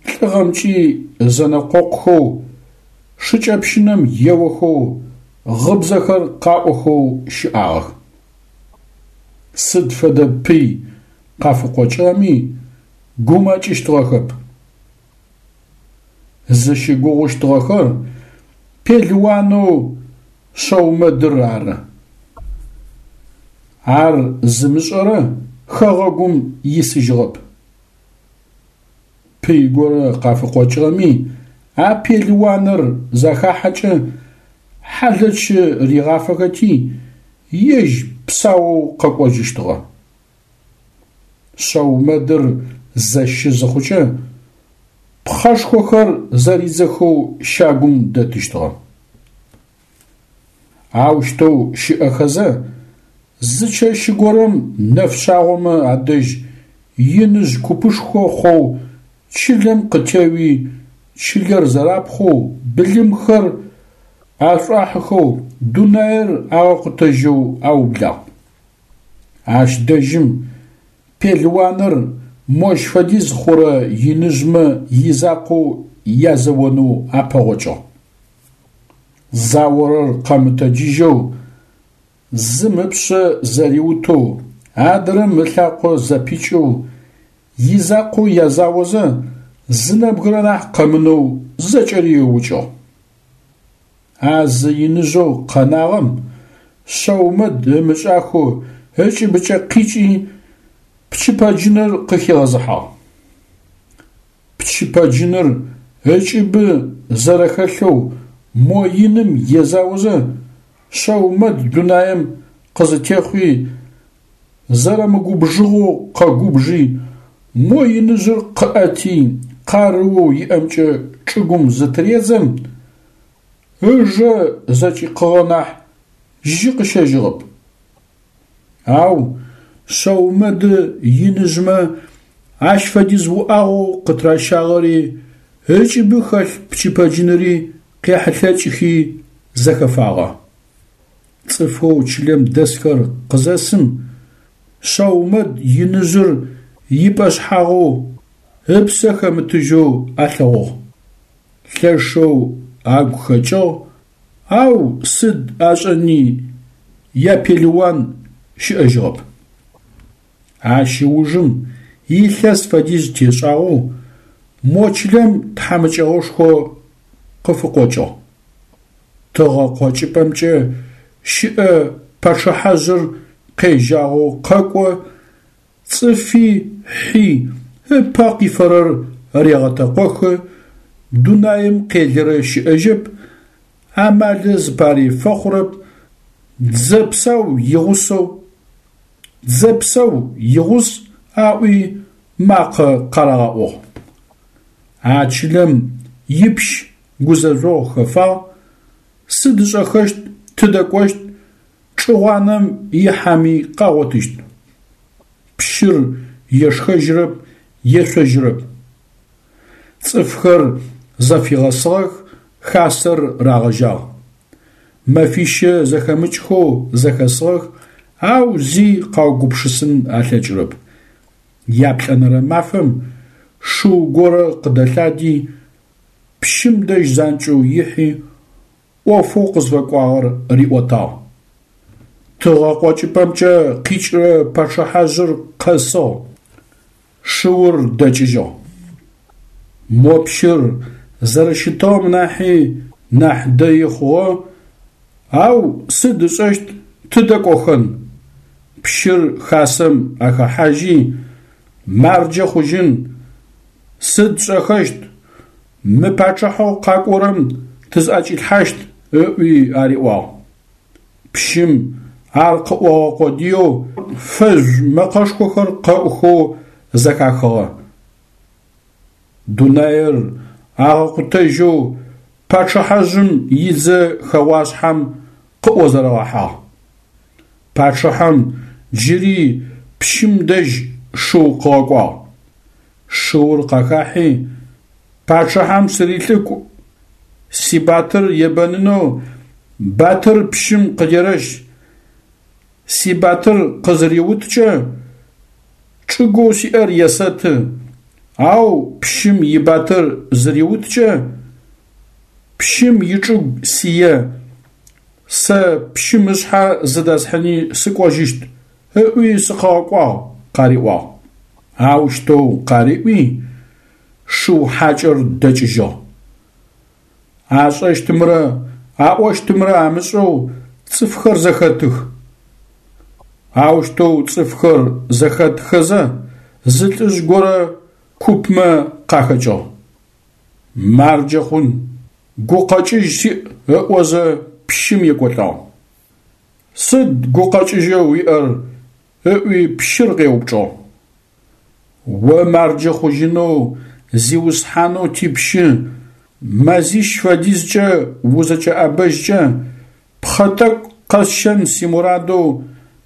лӏыгъэмкӏи зэнэкъокъухэу, шыкӏэпщынэм еохэу, гъыбзэхэр къаӏохэу щыӏагъэх. Сыд фэдэ пый къафыкъокӏыгъэми гумэкӏыщтыгъэхэп. Зыщыгугъыщтыгъэхэр пелыуанэу Шъэумэдыр ары. Ар зымышӏэрэ хэгъэгум исыжьыгъэп. Пый горэ къафыкъокӏыгъэми а пелыуаныр захахьэкӏэ хьалэчы ригъафэхэти, ежь псаоу къэкӏожьыщтыгъэ. Шъэумэдыр зэщы зыхъукӏэ пхъэшхохэр зэридзэхэу щагум дэтыщтыгъэ. Аущтэу щыӏэхэзэ, зы чэщ горэм нэфшъагъомэ адэжь иныжъ купышхо хъоу чылэм къытеуи чылэр зэрапхъоу, былымхэр ашӏуахьыхэу, дунаир агъэкъутэжьэу аублагъ. Ащ дэжьым пелыуаныр мощ фэдиз хъурэ иныжъмэ изакъоу язэонэу апэгъокӏыгъ. Заорэр къэмытэджыжьэу, зым ыпшъэ зэриутэу, адрэм ылъакъо зэпикӏэу, изакъоу язаозэ зы нэбгырэ нахь къэмынэу зэкӏэри ыукӏыгъ. А зы иныжъэу къэнагъэм Шъэумэд ымышӏахэу ыкӏыбыкӏэ къикӏи пчыпэджыныр къыхигъэзыхьагъ. Пчыпэджыныр ыкӏыбы зэрэхэлъэу мо иным езаозэ Шъэумэд дунаим къызытехъуи, зэрэмыгубжыгъэу къэгубжи, мо иныжъыр къыӏэти къарыоу иӏэмкӏэ чӏыгум зытыредзэм, ыжэ зэкӏикъыгъэ нахь жьы къыщэжьыгъэп. Ау Шъэумэды иныжъмэ ащ фэдиз уӏагъэу къытыращагъэри ыкӏыбы хэлъ пчыпэджыныри къехьылъэкӏыхи зэхэфагъэ. Цӏыфэу чылэм дэсхэр къызэсым Шъэумэд иныжъыр ипӏэшъхьагъэу, ыпсэ хэмытыжьэу алъэгъугъ. Лъэшэу агу хэкӏыгъ, ау сыд ашӏэни япелыуан щыӏэжьыгъэп. Ащ ыужым илъэс фэдиз тешӏагъэу мо чылэм тхьамыкӏэгъошхо къыфыкъокӏыгъ. Тыгъэ къокӏыпӏэмкӏэ щыӏэ пачъыхьэжъыр къежьагъэу къэкӏо, цӏыфи хьи ыпэ къифэрэр регъэтэкъохы, дунаим къелырэ щыӏэжьэп, амалы зыпари фэхъурэп, дзэ псау игъусэу, дзэ псау игъус аӏуи макъэ къарагъэӏугъ. А чылэм ипщ гузэжъогъу хэфагъ, сыд ышӏэхэщт, тыдэ кӏощт, Чӏыгъуанэм ихьэми къагъотыщт. Пщыр ешхэжьырэп, ешъожьырэп. Цӏыфхэр зэфигъэсыгъэх, хасэр рагъэжьагъ. Мэфищэ зэхэмыкӏхэу зэхэсыгъэх, ау зи къаугупшысын алъэкӏырэп. Яплӏэнэрэ мафэм шыу горэ къыдэлъади, пщым дэжь занкӏэу ихьи, ӏофэу къызфэкӏуагъэр риӏотагъ. Тыгъэ къокӏыпӏэмкӏэ къикӏырэ пачъыхьэжъыр къэсыгъ, шыур дэкӏыжьыгъ. Мо пщыр зэрэщытыгъэм нахьи нахь дэи хъугъэ, ау сыд ышӏэщт, тыдэ кӏохэн? Пщыр хасэм ахэхьажьи, марджэ хъужьын, сыд тшӏэхэщт, мы пачъыхьэу къакӏорэм тызӏэкӏилъхьащт, ыӏуи ариӏуагъ. Пщым ар къыӏогъэ къодыеу фэжъу мэкъэшхохэр къэӏухэу зэхахыгъэ. Дунаир агъэкъутэжьэу пачъыхьэжъым идзэ хэгъуашъхьэм къыӏузэрэгъэхьагъ. Пачъыхьэм джыри пщым дэжь шыу къыгъэкӏуагъ. Шыур къахахьи, пачъыхьэм сырилӏыкӏу, сибатыр ебэнынэу батыр пщым къыдерэщ, сибатыр къызыриуткӏэ чӏыгоу сиӏэр есэты, ау пщым ибатыр зыриуткӏэ пщым ичӏыгу сие, сэ пщым ышъхьэ зыдэсхьыни сыкӏожьыщт, ыӏуи сыкъыгъэкӏуагъ, къариӏуагъ. Аущтэу къариӏуи, шыу хьакӏэр дэкӏыжьыгъ. Ашӏэщтымрэ аӏощтымрэ амышӏэу цӏыфхэр зэхэтых. Аущтэу цӏыфхэр зэхэтхэзэ, зы лӏыжъ горэ купмэ къахэкӏыгъ. Марджэ хъун, гукъэкӏыжь сиӏ ыӏозэ пщым екӏолӏагъ. Сыд гукъэкӏыжьэу уиӏэр? Ыӏуи пщыр къеупчӏыгъ. О марджэ хъужьынэу зиусхьанэу типщы мэзищ фэдизкӏэ узэкӏэӏэбэжькӏэ пхъэ тӏэкӏу къэсщэн симурадэу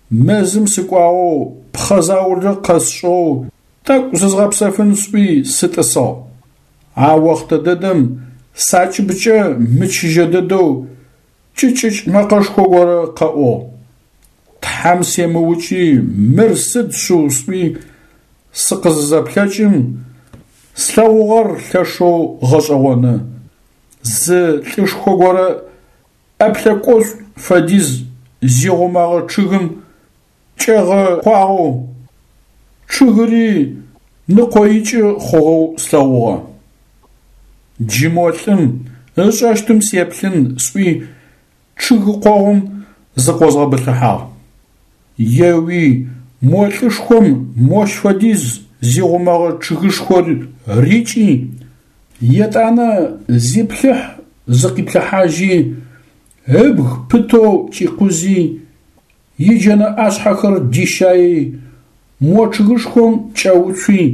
мэзым сыкӏуагъэу пхъэ заулэ къэсшӏыгъэу тӏэкӏу зызгъэпсэфын сӏуи сытӏысыгъ. А охътэ дэдэм сакӏыбкӏэ мычыжьэ дэдэу кӏыкӏыкӏ мэкъэшхо горэ къэӏугъ. Тхьэм семыукӏи мыр сыд шъыу сӏуи сыкъызызэплъэкӏым, слъэгъугъэр лъэшэу гъэшӏэгъоны: зы лӏышхо горэ ӏэплъэкӏошӏу фэдиз зигъумэгъэ чъыгым кӏэгъэкъуагъэу, чъыгыри ныкъоикӏы хъугъэу слъэгъугъэ. Джы мо лӏым ышӏэщтым сеплъын сӏуи чъыг къогъум зыкъозгъэбылъыхьагъ. Еуи мо лӏышхом мощ фэдиз зигъумэгъэ чъыгышхор рикӏи, етӏанэ зиплъыхь-зыкъиплъыхьажьи, ыбг пытэу кӏикъузи, иджэнэ ӏашъхьэхэр дищаий, мо чъыгышхом кӏэуцуи,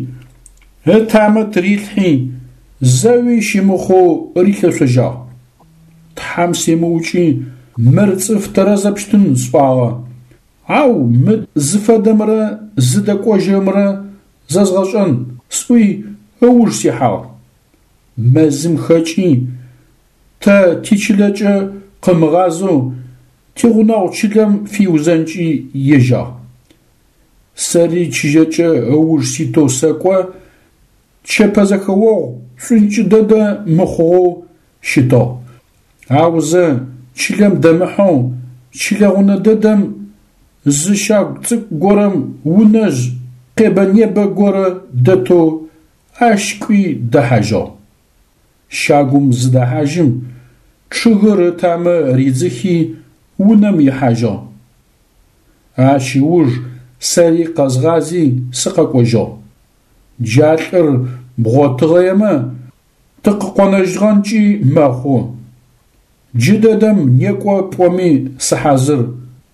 ытамэ тырилъхьи, зэуи щымыхъоу рилъэшъожьагъ. Тхьэм семыукӏи мыр цӏыф тэрэзэпщтын сӏуагъэ, ау мы зыфэдэмрэ зыдэкӏожьырэмрэ зэзгъэшӏэн сӏуи ыуж сихьагъ. Мэзым хэкӏи, тэ тичылэкӏэ къымыгъазэу тигъунэгъу чылэм фиузэнкӏи ежьагъ. Сэри чыжьэкӏэ ыуж ситэу сэкӏо, чэпэзэхэогъу шӏункӏы дэдэ мыхъугъэу щытыгъ. Аузэ чылэм дэмыхьэу чылэгъунэ дэдэм зы щагу цӏыкӏу горэм унэжъ къебэ-небэ горэ дэтэу ащ кӏуи дэхьажьыгъ. Щагум зыдэхьажьым, чъыгыр ытамэ ридзыхи унэм ихьажьыгъ. Ащ ыуж сэри къэзгъази сыкъэкӏожьыгъ. Джа лӏыр бгъотыгъэемэ, тыкъыкъонэжьыгъэнкӏи мэхъу. Джыдэдэм некӏо пӏоми сыхьазыр,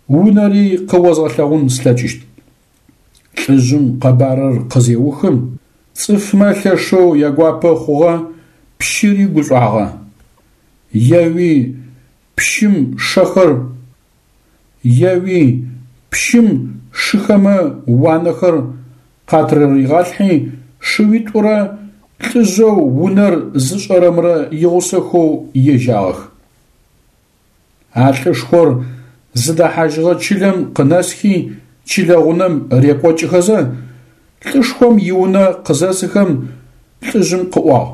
унэри къыозгъэлъэгъун слъэкӏыщт. Лӏыжъым къэбарыр къызеухым, цӏыфмэ лъэшэу ягуапэ хъугъэ, пщыри гушӏуагъэ. Еуи пщым шэхэр еуи, пщым шыхэмэ уанэхэр къатырыригъалъхьи, шыуитӏурэ лӏыжъэу унэр зышӏэрэмрэ игъусэхэу ежьагъэх. А лӏышхор зыдэхьажьыгъэ чылэм къынэсхи чылэ гъунэм рекӏокӏыхэзэ, лӏышхом иунэ къызэсыхэм лӏыжъым къыӏуагъ: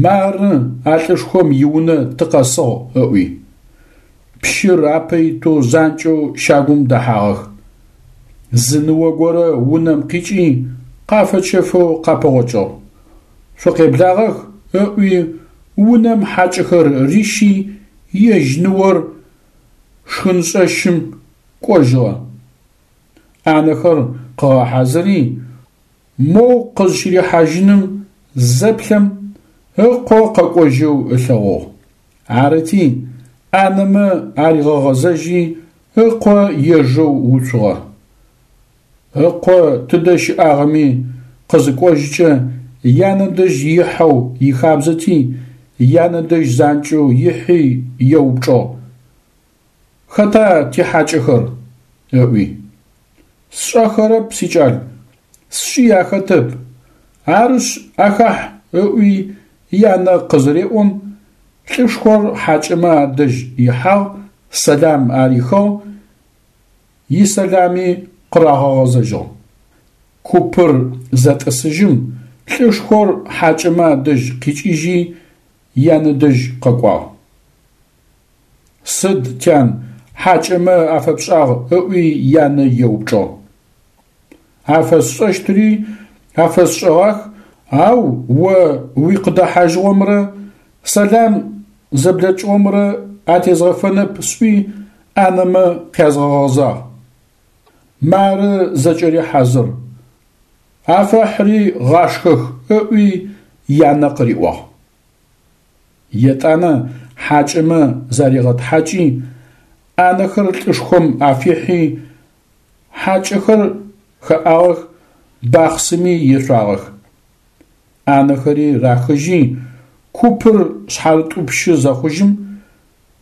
«Мары а лӏышхом иунэ тыкъэсыгъ», – ыӏуи. Пщыр апэ итэу занкӏэу щагум дэхьагъэх. Зы ныо горэ унэм къикӏи къафэчэфэу къапэгъокӏыгъ. «Шъукъеблагъэх», – ыӏуи унэм хьакӏэхэр рищи, ежь ныор шхыншӏэщым кӏожьыгъэ. Ӏанэхэр къыгъэхьазыри, моу къызщырихьажьыным зэплъэм, ыкъо къэкӏожьэу ылъэгъугъ. Арыти, ӏанэмэ аригъэгъэзэжьи, ыкъо ежэу уцугъэ. Ыкъо тыдэ щыӏагъэми къызыкӏожьыкӏэ янэ дэжь ихьэу ихабзэти, янэ дэжь занкӏэу ихьи еупчӏыгъ: «Хэта тихьакӏэхэр?», ыӏуи. «Сшӏэхэрэп, сикӏал, сшӏи ахэтэп, арышъ ахахь», ыӏуи янэ къызыреӏом, лӏышхор хьакӏэмэ адэжь ихьагъ, сэлам арихыгъ, исэлами къырагъэгъэзэжьыгъ. Купыр зэтӏысыжьым, лӏышхор хьакӏэмэ адэжь къикӏыжьи янэ дэжь къэкӏуагъ. «Сыд, тян, хьакӏэмэ афэпшӏагъ?» ыӏуи янэ еупчӏыгъ. «Афэсшӏэщтыри афэсшӏэгъах, ау о уикъыдэхьажьыгъомрэ сэлам зэблэкӏыгъомрэ атезгъэфэнэп сӏуи ӏанэмэ къязгъэгъэзагъ. Мары зэкӏэри хьазыр. Афэхьыри гъашхэх», ыӏуи янэ къыриӏуагъ. Етӏанэ хьакӏэмэ заригъэтхьакӏи, ӏанэхэр лӏышхом афихьи, хьакӏэхэр хэӏагъэх, бахъсыми ешъуагъэх. Ӏанэхэри рахыжьи, купыр шъхьарытӏупщы зэхъужьым,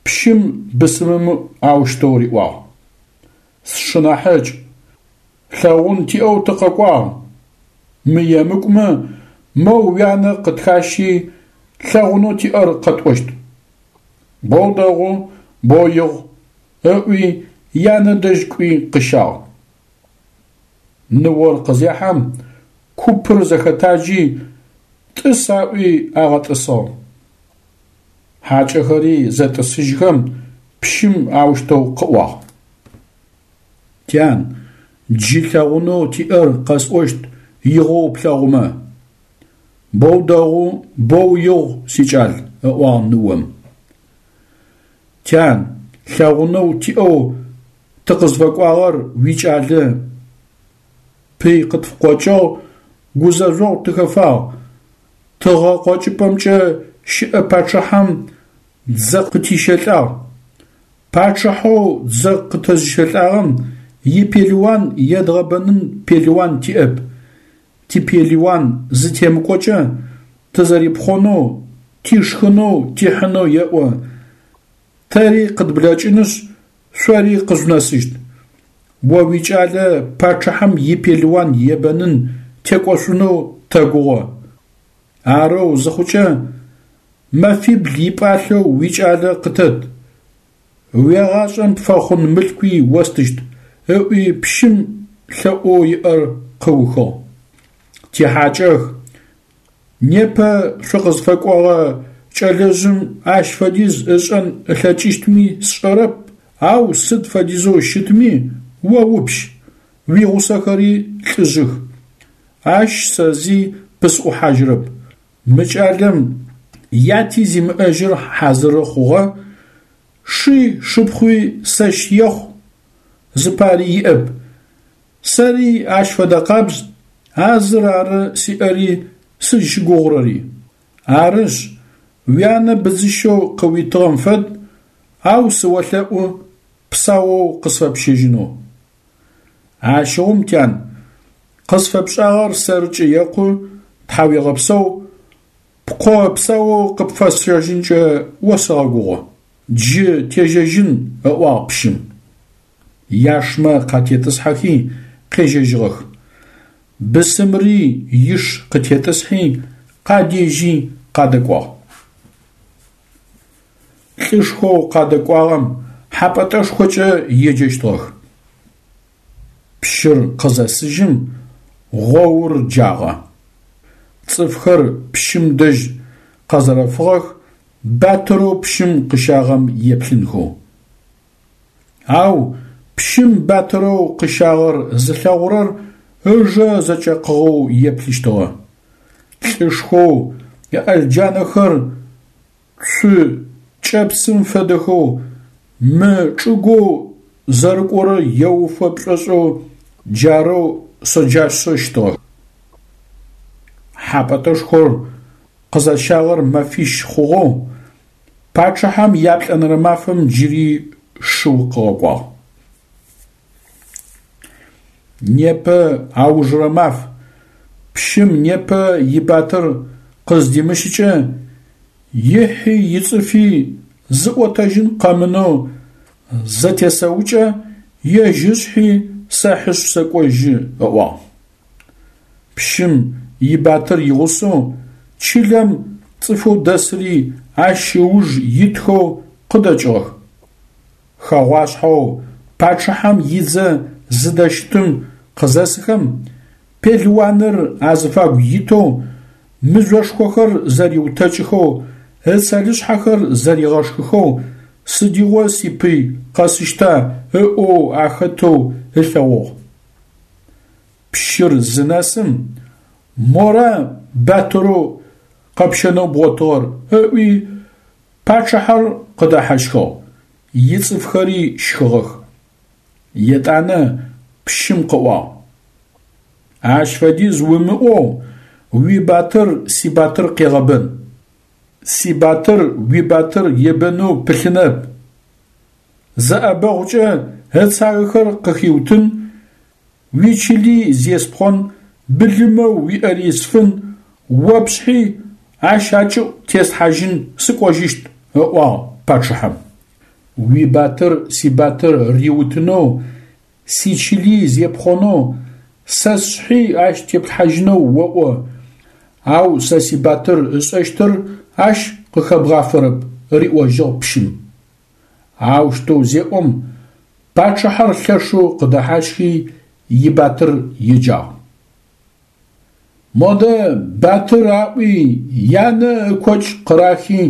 пщым бысымым аущтэу риӏуагъ: «Сшынахьыкӏ, лъэгъун тиӏэу тыкъэкӏуагъ, мыемыкӏумэ, моу уянэ къытхащи лъэгъунэу тиӏэр къэтӏощт». «Боу дэгъу, боу игъу», ыӏуи янэ дэжь кӏуи къыщагъ. Ныор къызехьэм, купыр зэхэтаджи, тӏыс аӏуи агъэтӏысыгъ. Хьакӏэхэри зэтӏысыжьхэм, пщым аущтэу къыӏуагъ: «Тян, джы лъэгъунэу тиӏэр къэсӏощт игъоу плъэгъумэ». «Боу дэгъу, боу игъу, сикӏал», ыӏуагъ ныом. «Тян, лъэгъунэу тиӏэу тыкъызфэкӏуагъэр уикӏалэ. Пый къытфыкъокӏыгъ, гузэжъогъу тыхэфагъ, тыгъэ къокӏыпӏэмкӏэ щыӏэ пачъыхьэм дзэ къытищэлӏагъ. Пачъыхьэу дзэ къытэзыщэлӏагъэм ипелыуан едгъэбэнын пелыуан тиӏэп. Типелыуан зытемыкӏокӏэ тызэрипхъонэу, тишхынэу тихьынэу еӏо, тэри къыдблэкӏынышъ, шъори къыжъунэсыщт. О уикӏалэ пачъыхьэм ипелыуан ебэнын текӏошъунэу тэгугъэ. Арэу зыхъукӏэ, мэфибл ипӏалъэу уикӏалэ къытэт, уегъашӏэм пфэхъун мылъкуи остыщт», ыӏуи пщым лъэӏоу иӏэр къыухыгъ. «Тихьакӏэх, непэ шъукъызфэкӏогъэ кӏэлэжъым ащ фэдиз ышӏэн ылъэкӏыщтми сшӏэрэп, ау сыд фэдизэу щытми, о упщ, уигъусэхэри лӏыжъых. Ащ сэ зи пысӏухьажьырэп. Мы кӏалэм яти зимыӏэжьыр хьазыры хъугъэ, ши шыпхъуи сэщ ехъу зыпари иӏэп. Сэри ащ фэдэкъабз, а зыр ары сиӏэри сызщыгугъырэри. Арышъ, уянэ быдзыщэу къыуитыгъэм фэд, ау сыолъэӏу псаоу къысфэпщэжьынэу. Ащыгъум, тян, къысфэпшӏагъэр сэркӏэ екъу, тхьауегъэпсэу, пкъо псаоу къыпфэсщэжьынкӏэ осэгъэгугъэ. Джы тежьэжьын, ыӏуагъ пщым. Яшмэ къатетӏысхьэхи къежьэжьыгъэх. Бысымри иш къытетӏысхьи къадежьи къадэкӏуагъ. Лӏышхоу къадэкӏуагъэм Хьапӏэтӏэшхокӏэ еджэщтыгъэх. Пщыр къызэсыжьым гъоур джагъэ. Цӏыфхэр пщым дэжь къэзэрэфыгъэх батырэу пщым къыщагъэм еплъынхэу. Ау пщым батырэу къыщагъэр зылъэгъурэр ыжэ зэкӏэкъыгъэу еплъыщтыгъэ. Лӏышхоу ыӏэлджанэхэр цу кӏэпсым фэдэхэу мы чӏыгоу зэрыкӏорэр еуфэ пшӏошӏэу джарэу шъэджашъэщтыгъэ. Хьапӏэтӏэшхор къызащагъэр мэфищ хъугъэу пачъыхьэм яплӏэнэрэ мафэм джыри шыу къыгъэкӏуагъ. Непэ аужырэ маф, пщым непэ ибатыр къыздимыщыкӏэ, ихьи ицӏыфи зыӏотэжьын къэмынэу зэтесэукӏэ, ежь ышъхьи сэхьышъ сэкӏожьы, ыӏуагъ. Пщым ибатыр игъусэу чылэм цӏыфэу дэсыри ащ ыуж итхэу къыдэкӏыгъэх. Хэгъуашъхьэу пачъыхьэм идзэ зыдэщытым къызэсыхэм, пелыуаныр азыфагу итэу, мыжъошхохэр зэриутэкӏыхэу, ыцэлышъхьэхэр зэригъэшхыхэу, сыдигъо сипый къэсыщта ыӏоу ахэтэу ылъэгъугъ. Пщыр зынэсым, мора батырэу къэпщэнэу бгъотыгъэр ыӏуи пачъыхьэр къыдэхьащхыгъ, ицӏыфхэри щхыгъэх. Етӏанэ пщым къыӏуагъ: Ащ фэдиз умыӏоу уибатыр сибатыр къегъэбэн. Сибатыр уибатыр ебэнэу пылъынэп. Зы ӏэбэгъукӏэ ыцагэхэр къыхиутын, уичыли зеспхъон, былымэу уиӏэри сфын, о пшъхьи ащ акӏыӏу теслъхьажьын сыкӏожьыщт, ыӏуагъ пачъыхьэм. Уибатыр сибатыр риутынэу, сичыли зепхъонэу, сэ сшъхьи ащ теплъхьажьынэу оӏо, ау сэ сибатыр ышӏэщтыр ащ къыхэбгъафэрэп, риӏожьыгъ пщым. Аущтэу зеӏом, пачъыхьэр лъэшэу къыдэхьащхи ибатыр еджагъ. Модэ батыр аӏуи янэ ыкокӏ къырахи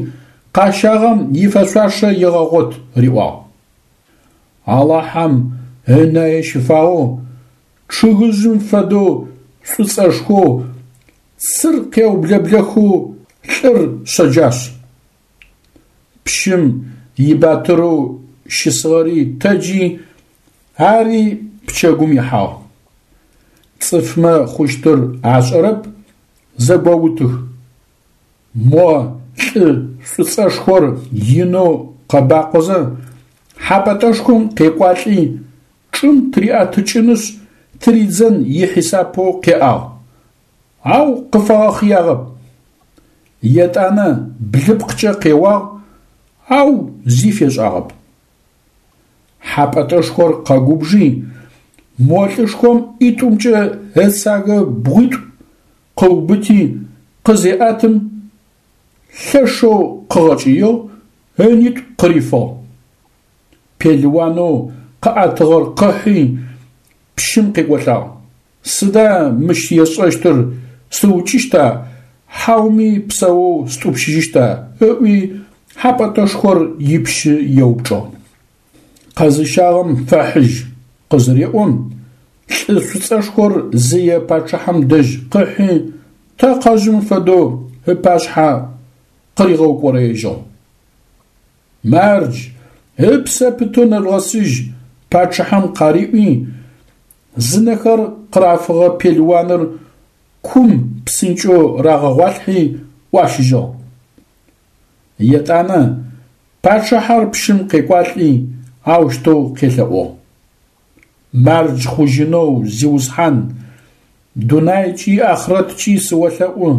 къащагъэм ифэшъуашэ егъэгъот, риӏуагъ. Алахьэм ынае щыфагъэу, чъыгыжъым фэдэу шӏуцӏэшхоу, цыр къеублэблэхэу лӏыр шъэджашъ. Пщым ибатырэу щысыгъэри тэджи, ари пчэгум ихьагъ. Цӏыфмэ хъущтыр ашӏэрэп, зэгоутых. Мо лӏы шӏуцӏэшхор инэу къэбакъозэ Хьапӏэтӏэшхом къекӏуалӏи, чӏым тыриӏэтыкӏынышъ тыридзэн ихьисапэу къеӏагъ, ау къыфэгъэхъыягъэп. Етӏанэ блыпкъкӏэ къеуагъ, ау зи фешӏагъэп. Хьапӏэтӏэшхор къэгубжи, мо лӏышхом ӏитӏумкӏэ ыцагэ бгъуитӏу къыубыти къызеӏэтым, лъэшэу къыгъэкӏыигъ, ынитӏу къырифыгъ. Пелыуанэу къыӏэтыгъэр къыхьи пщым къекӏолӏагъ. Сыда мыщ есшӏэщтыр, сыукӏыщта, хьауми псэоу стӏупщыжьыщта? Ыӏуи Хьапӏэтӏэшхор ипщы еупчӏыгъ. Къэзыщагъэм фэхьыжь къызыреӏом, лӏы шӏуцӏэшхор зые пачъыхьэм дэжь къыхьи тэкъэжъым фэдэу ыпашъхьэ къыригъэукӏорэежьыгъ. Мардж, ыпсэ пытэу нэжъугъэсыжь пачъыхьэм къариӏуи, зынэхэр къырафыгъэ пелыуаныр кум псынкӏэу рагъэгъуалъхьи ӏуащыжьыгъ. Етӏанэ пачъыхьэр пщым къекӏуалӏи аущтэу къелъэӏугъ: Мардж хъужьынэу, зиусхьан, дунайкӏи ахърэткӏи сыолъэӏу,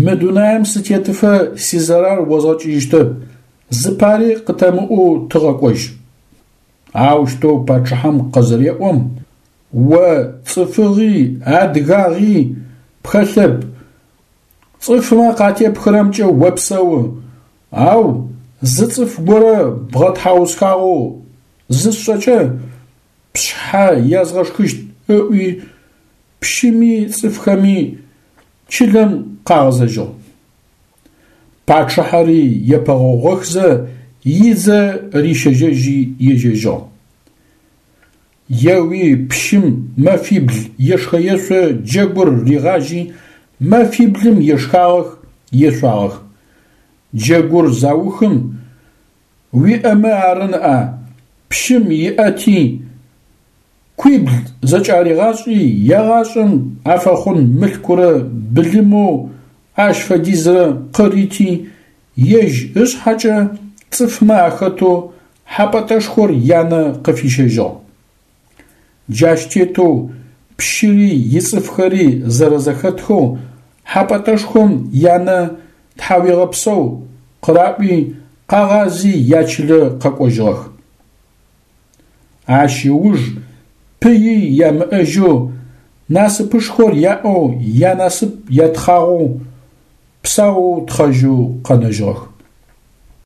мы дунаим сытетыфэ сизэрар озгъэкӏыжьыщтэп, зыпари къытэмыӏоу тыгъэкӏожь. Аущтэу пачъыхьэм къызыреӀом: «О цӀыфыгъи адыгагъи пхэлъэп, цӀыфмэ къатепхырэмкӀэ опсэу, ау зы цӀыф горэ бгъэтхьаусхагъэу зысшӀэкӀэ, пшъхьэ язгъэшхыщт», – ыӀуи, пщыми цӀыфхэми чылэм къагъэзэжьыгъ. Пачъыхьэри епэгъогъохзэ идзэ рищэжьэжьи ежьэжьыгъ. Еуи пщым мэфибл ешхэ-ешъо джэгур ригъажьи мэфиблым ешхагъэх, ешъуагъэх. Джэгур заухым, уиӀэмэ ары ныӀа, пщым иӀэти куибл зэкӀаригъашӀи егъашӀэм афэхъун мылъкурэ былымэу ащ фэдизрэ къырити ежь ышъхьэкӀэ цӀыфмэ ахэтэу ХьапӀатӀэшхор янэ къыфищэжьыгъ. Джащ тетэу пщыри ицӀыфхэри зэрэзэхэтхэу ХьапӀатӀэшхом янэ тхьауегъэпсэу къыраӀуи къагъази ячылэ къэкӀожьыгъэх. Ащ ыуж пыи ямыӀэжьэу, насыпышхор яӀэу, янасып ятхъагъоу, псаоу тхъэжьэу къэнэжьыгъэх.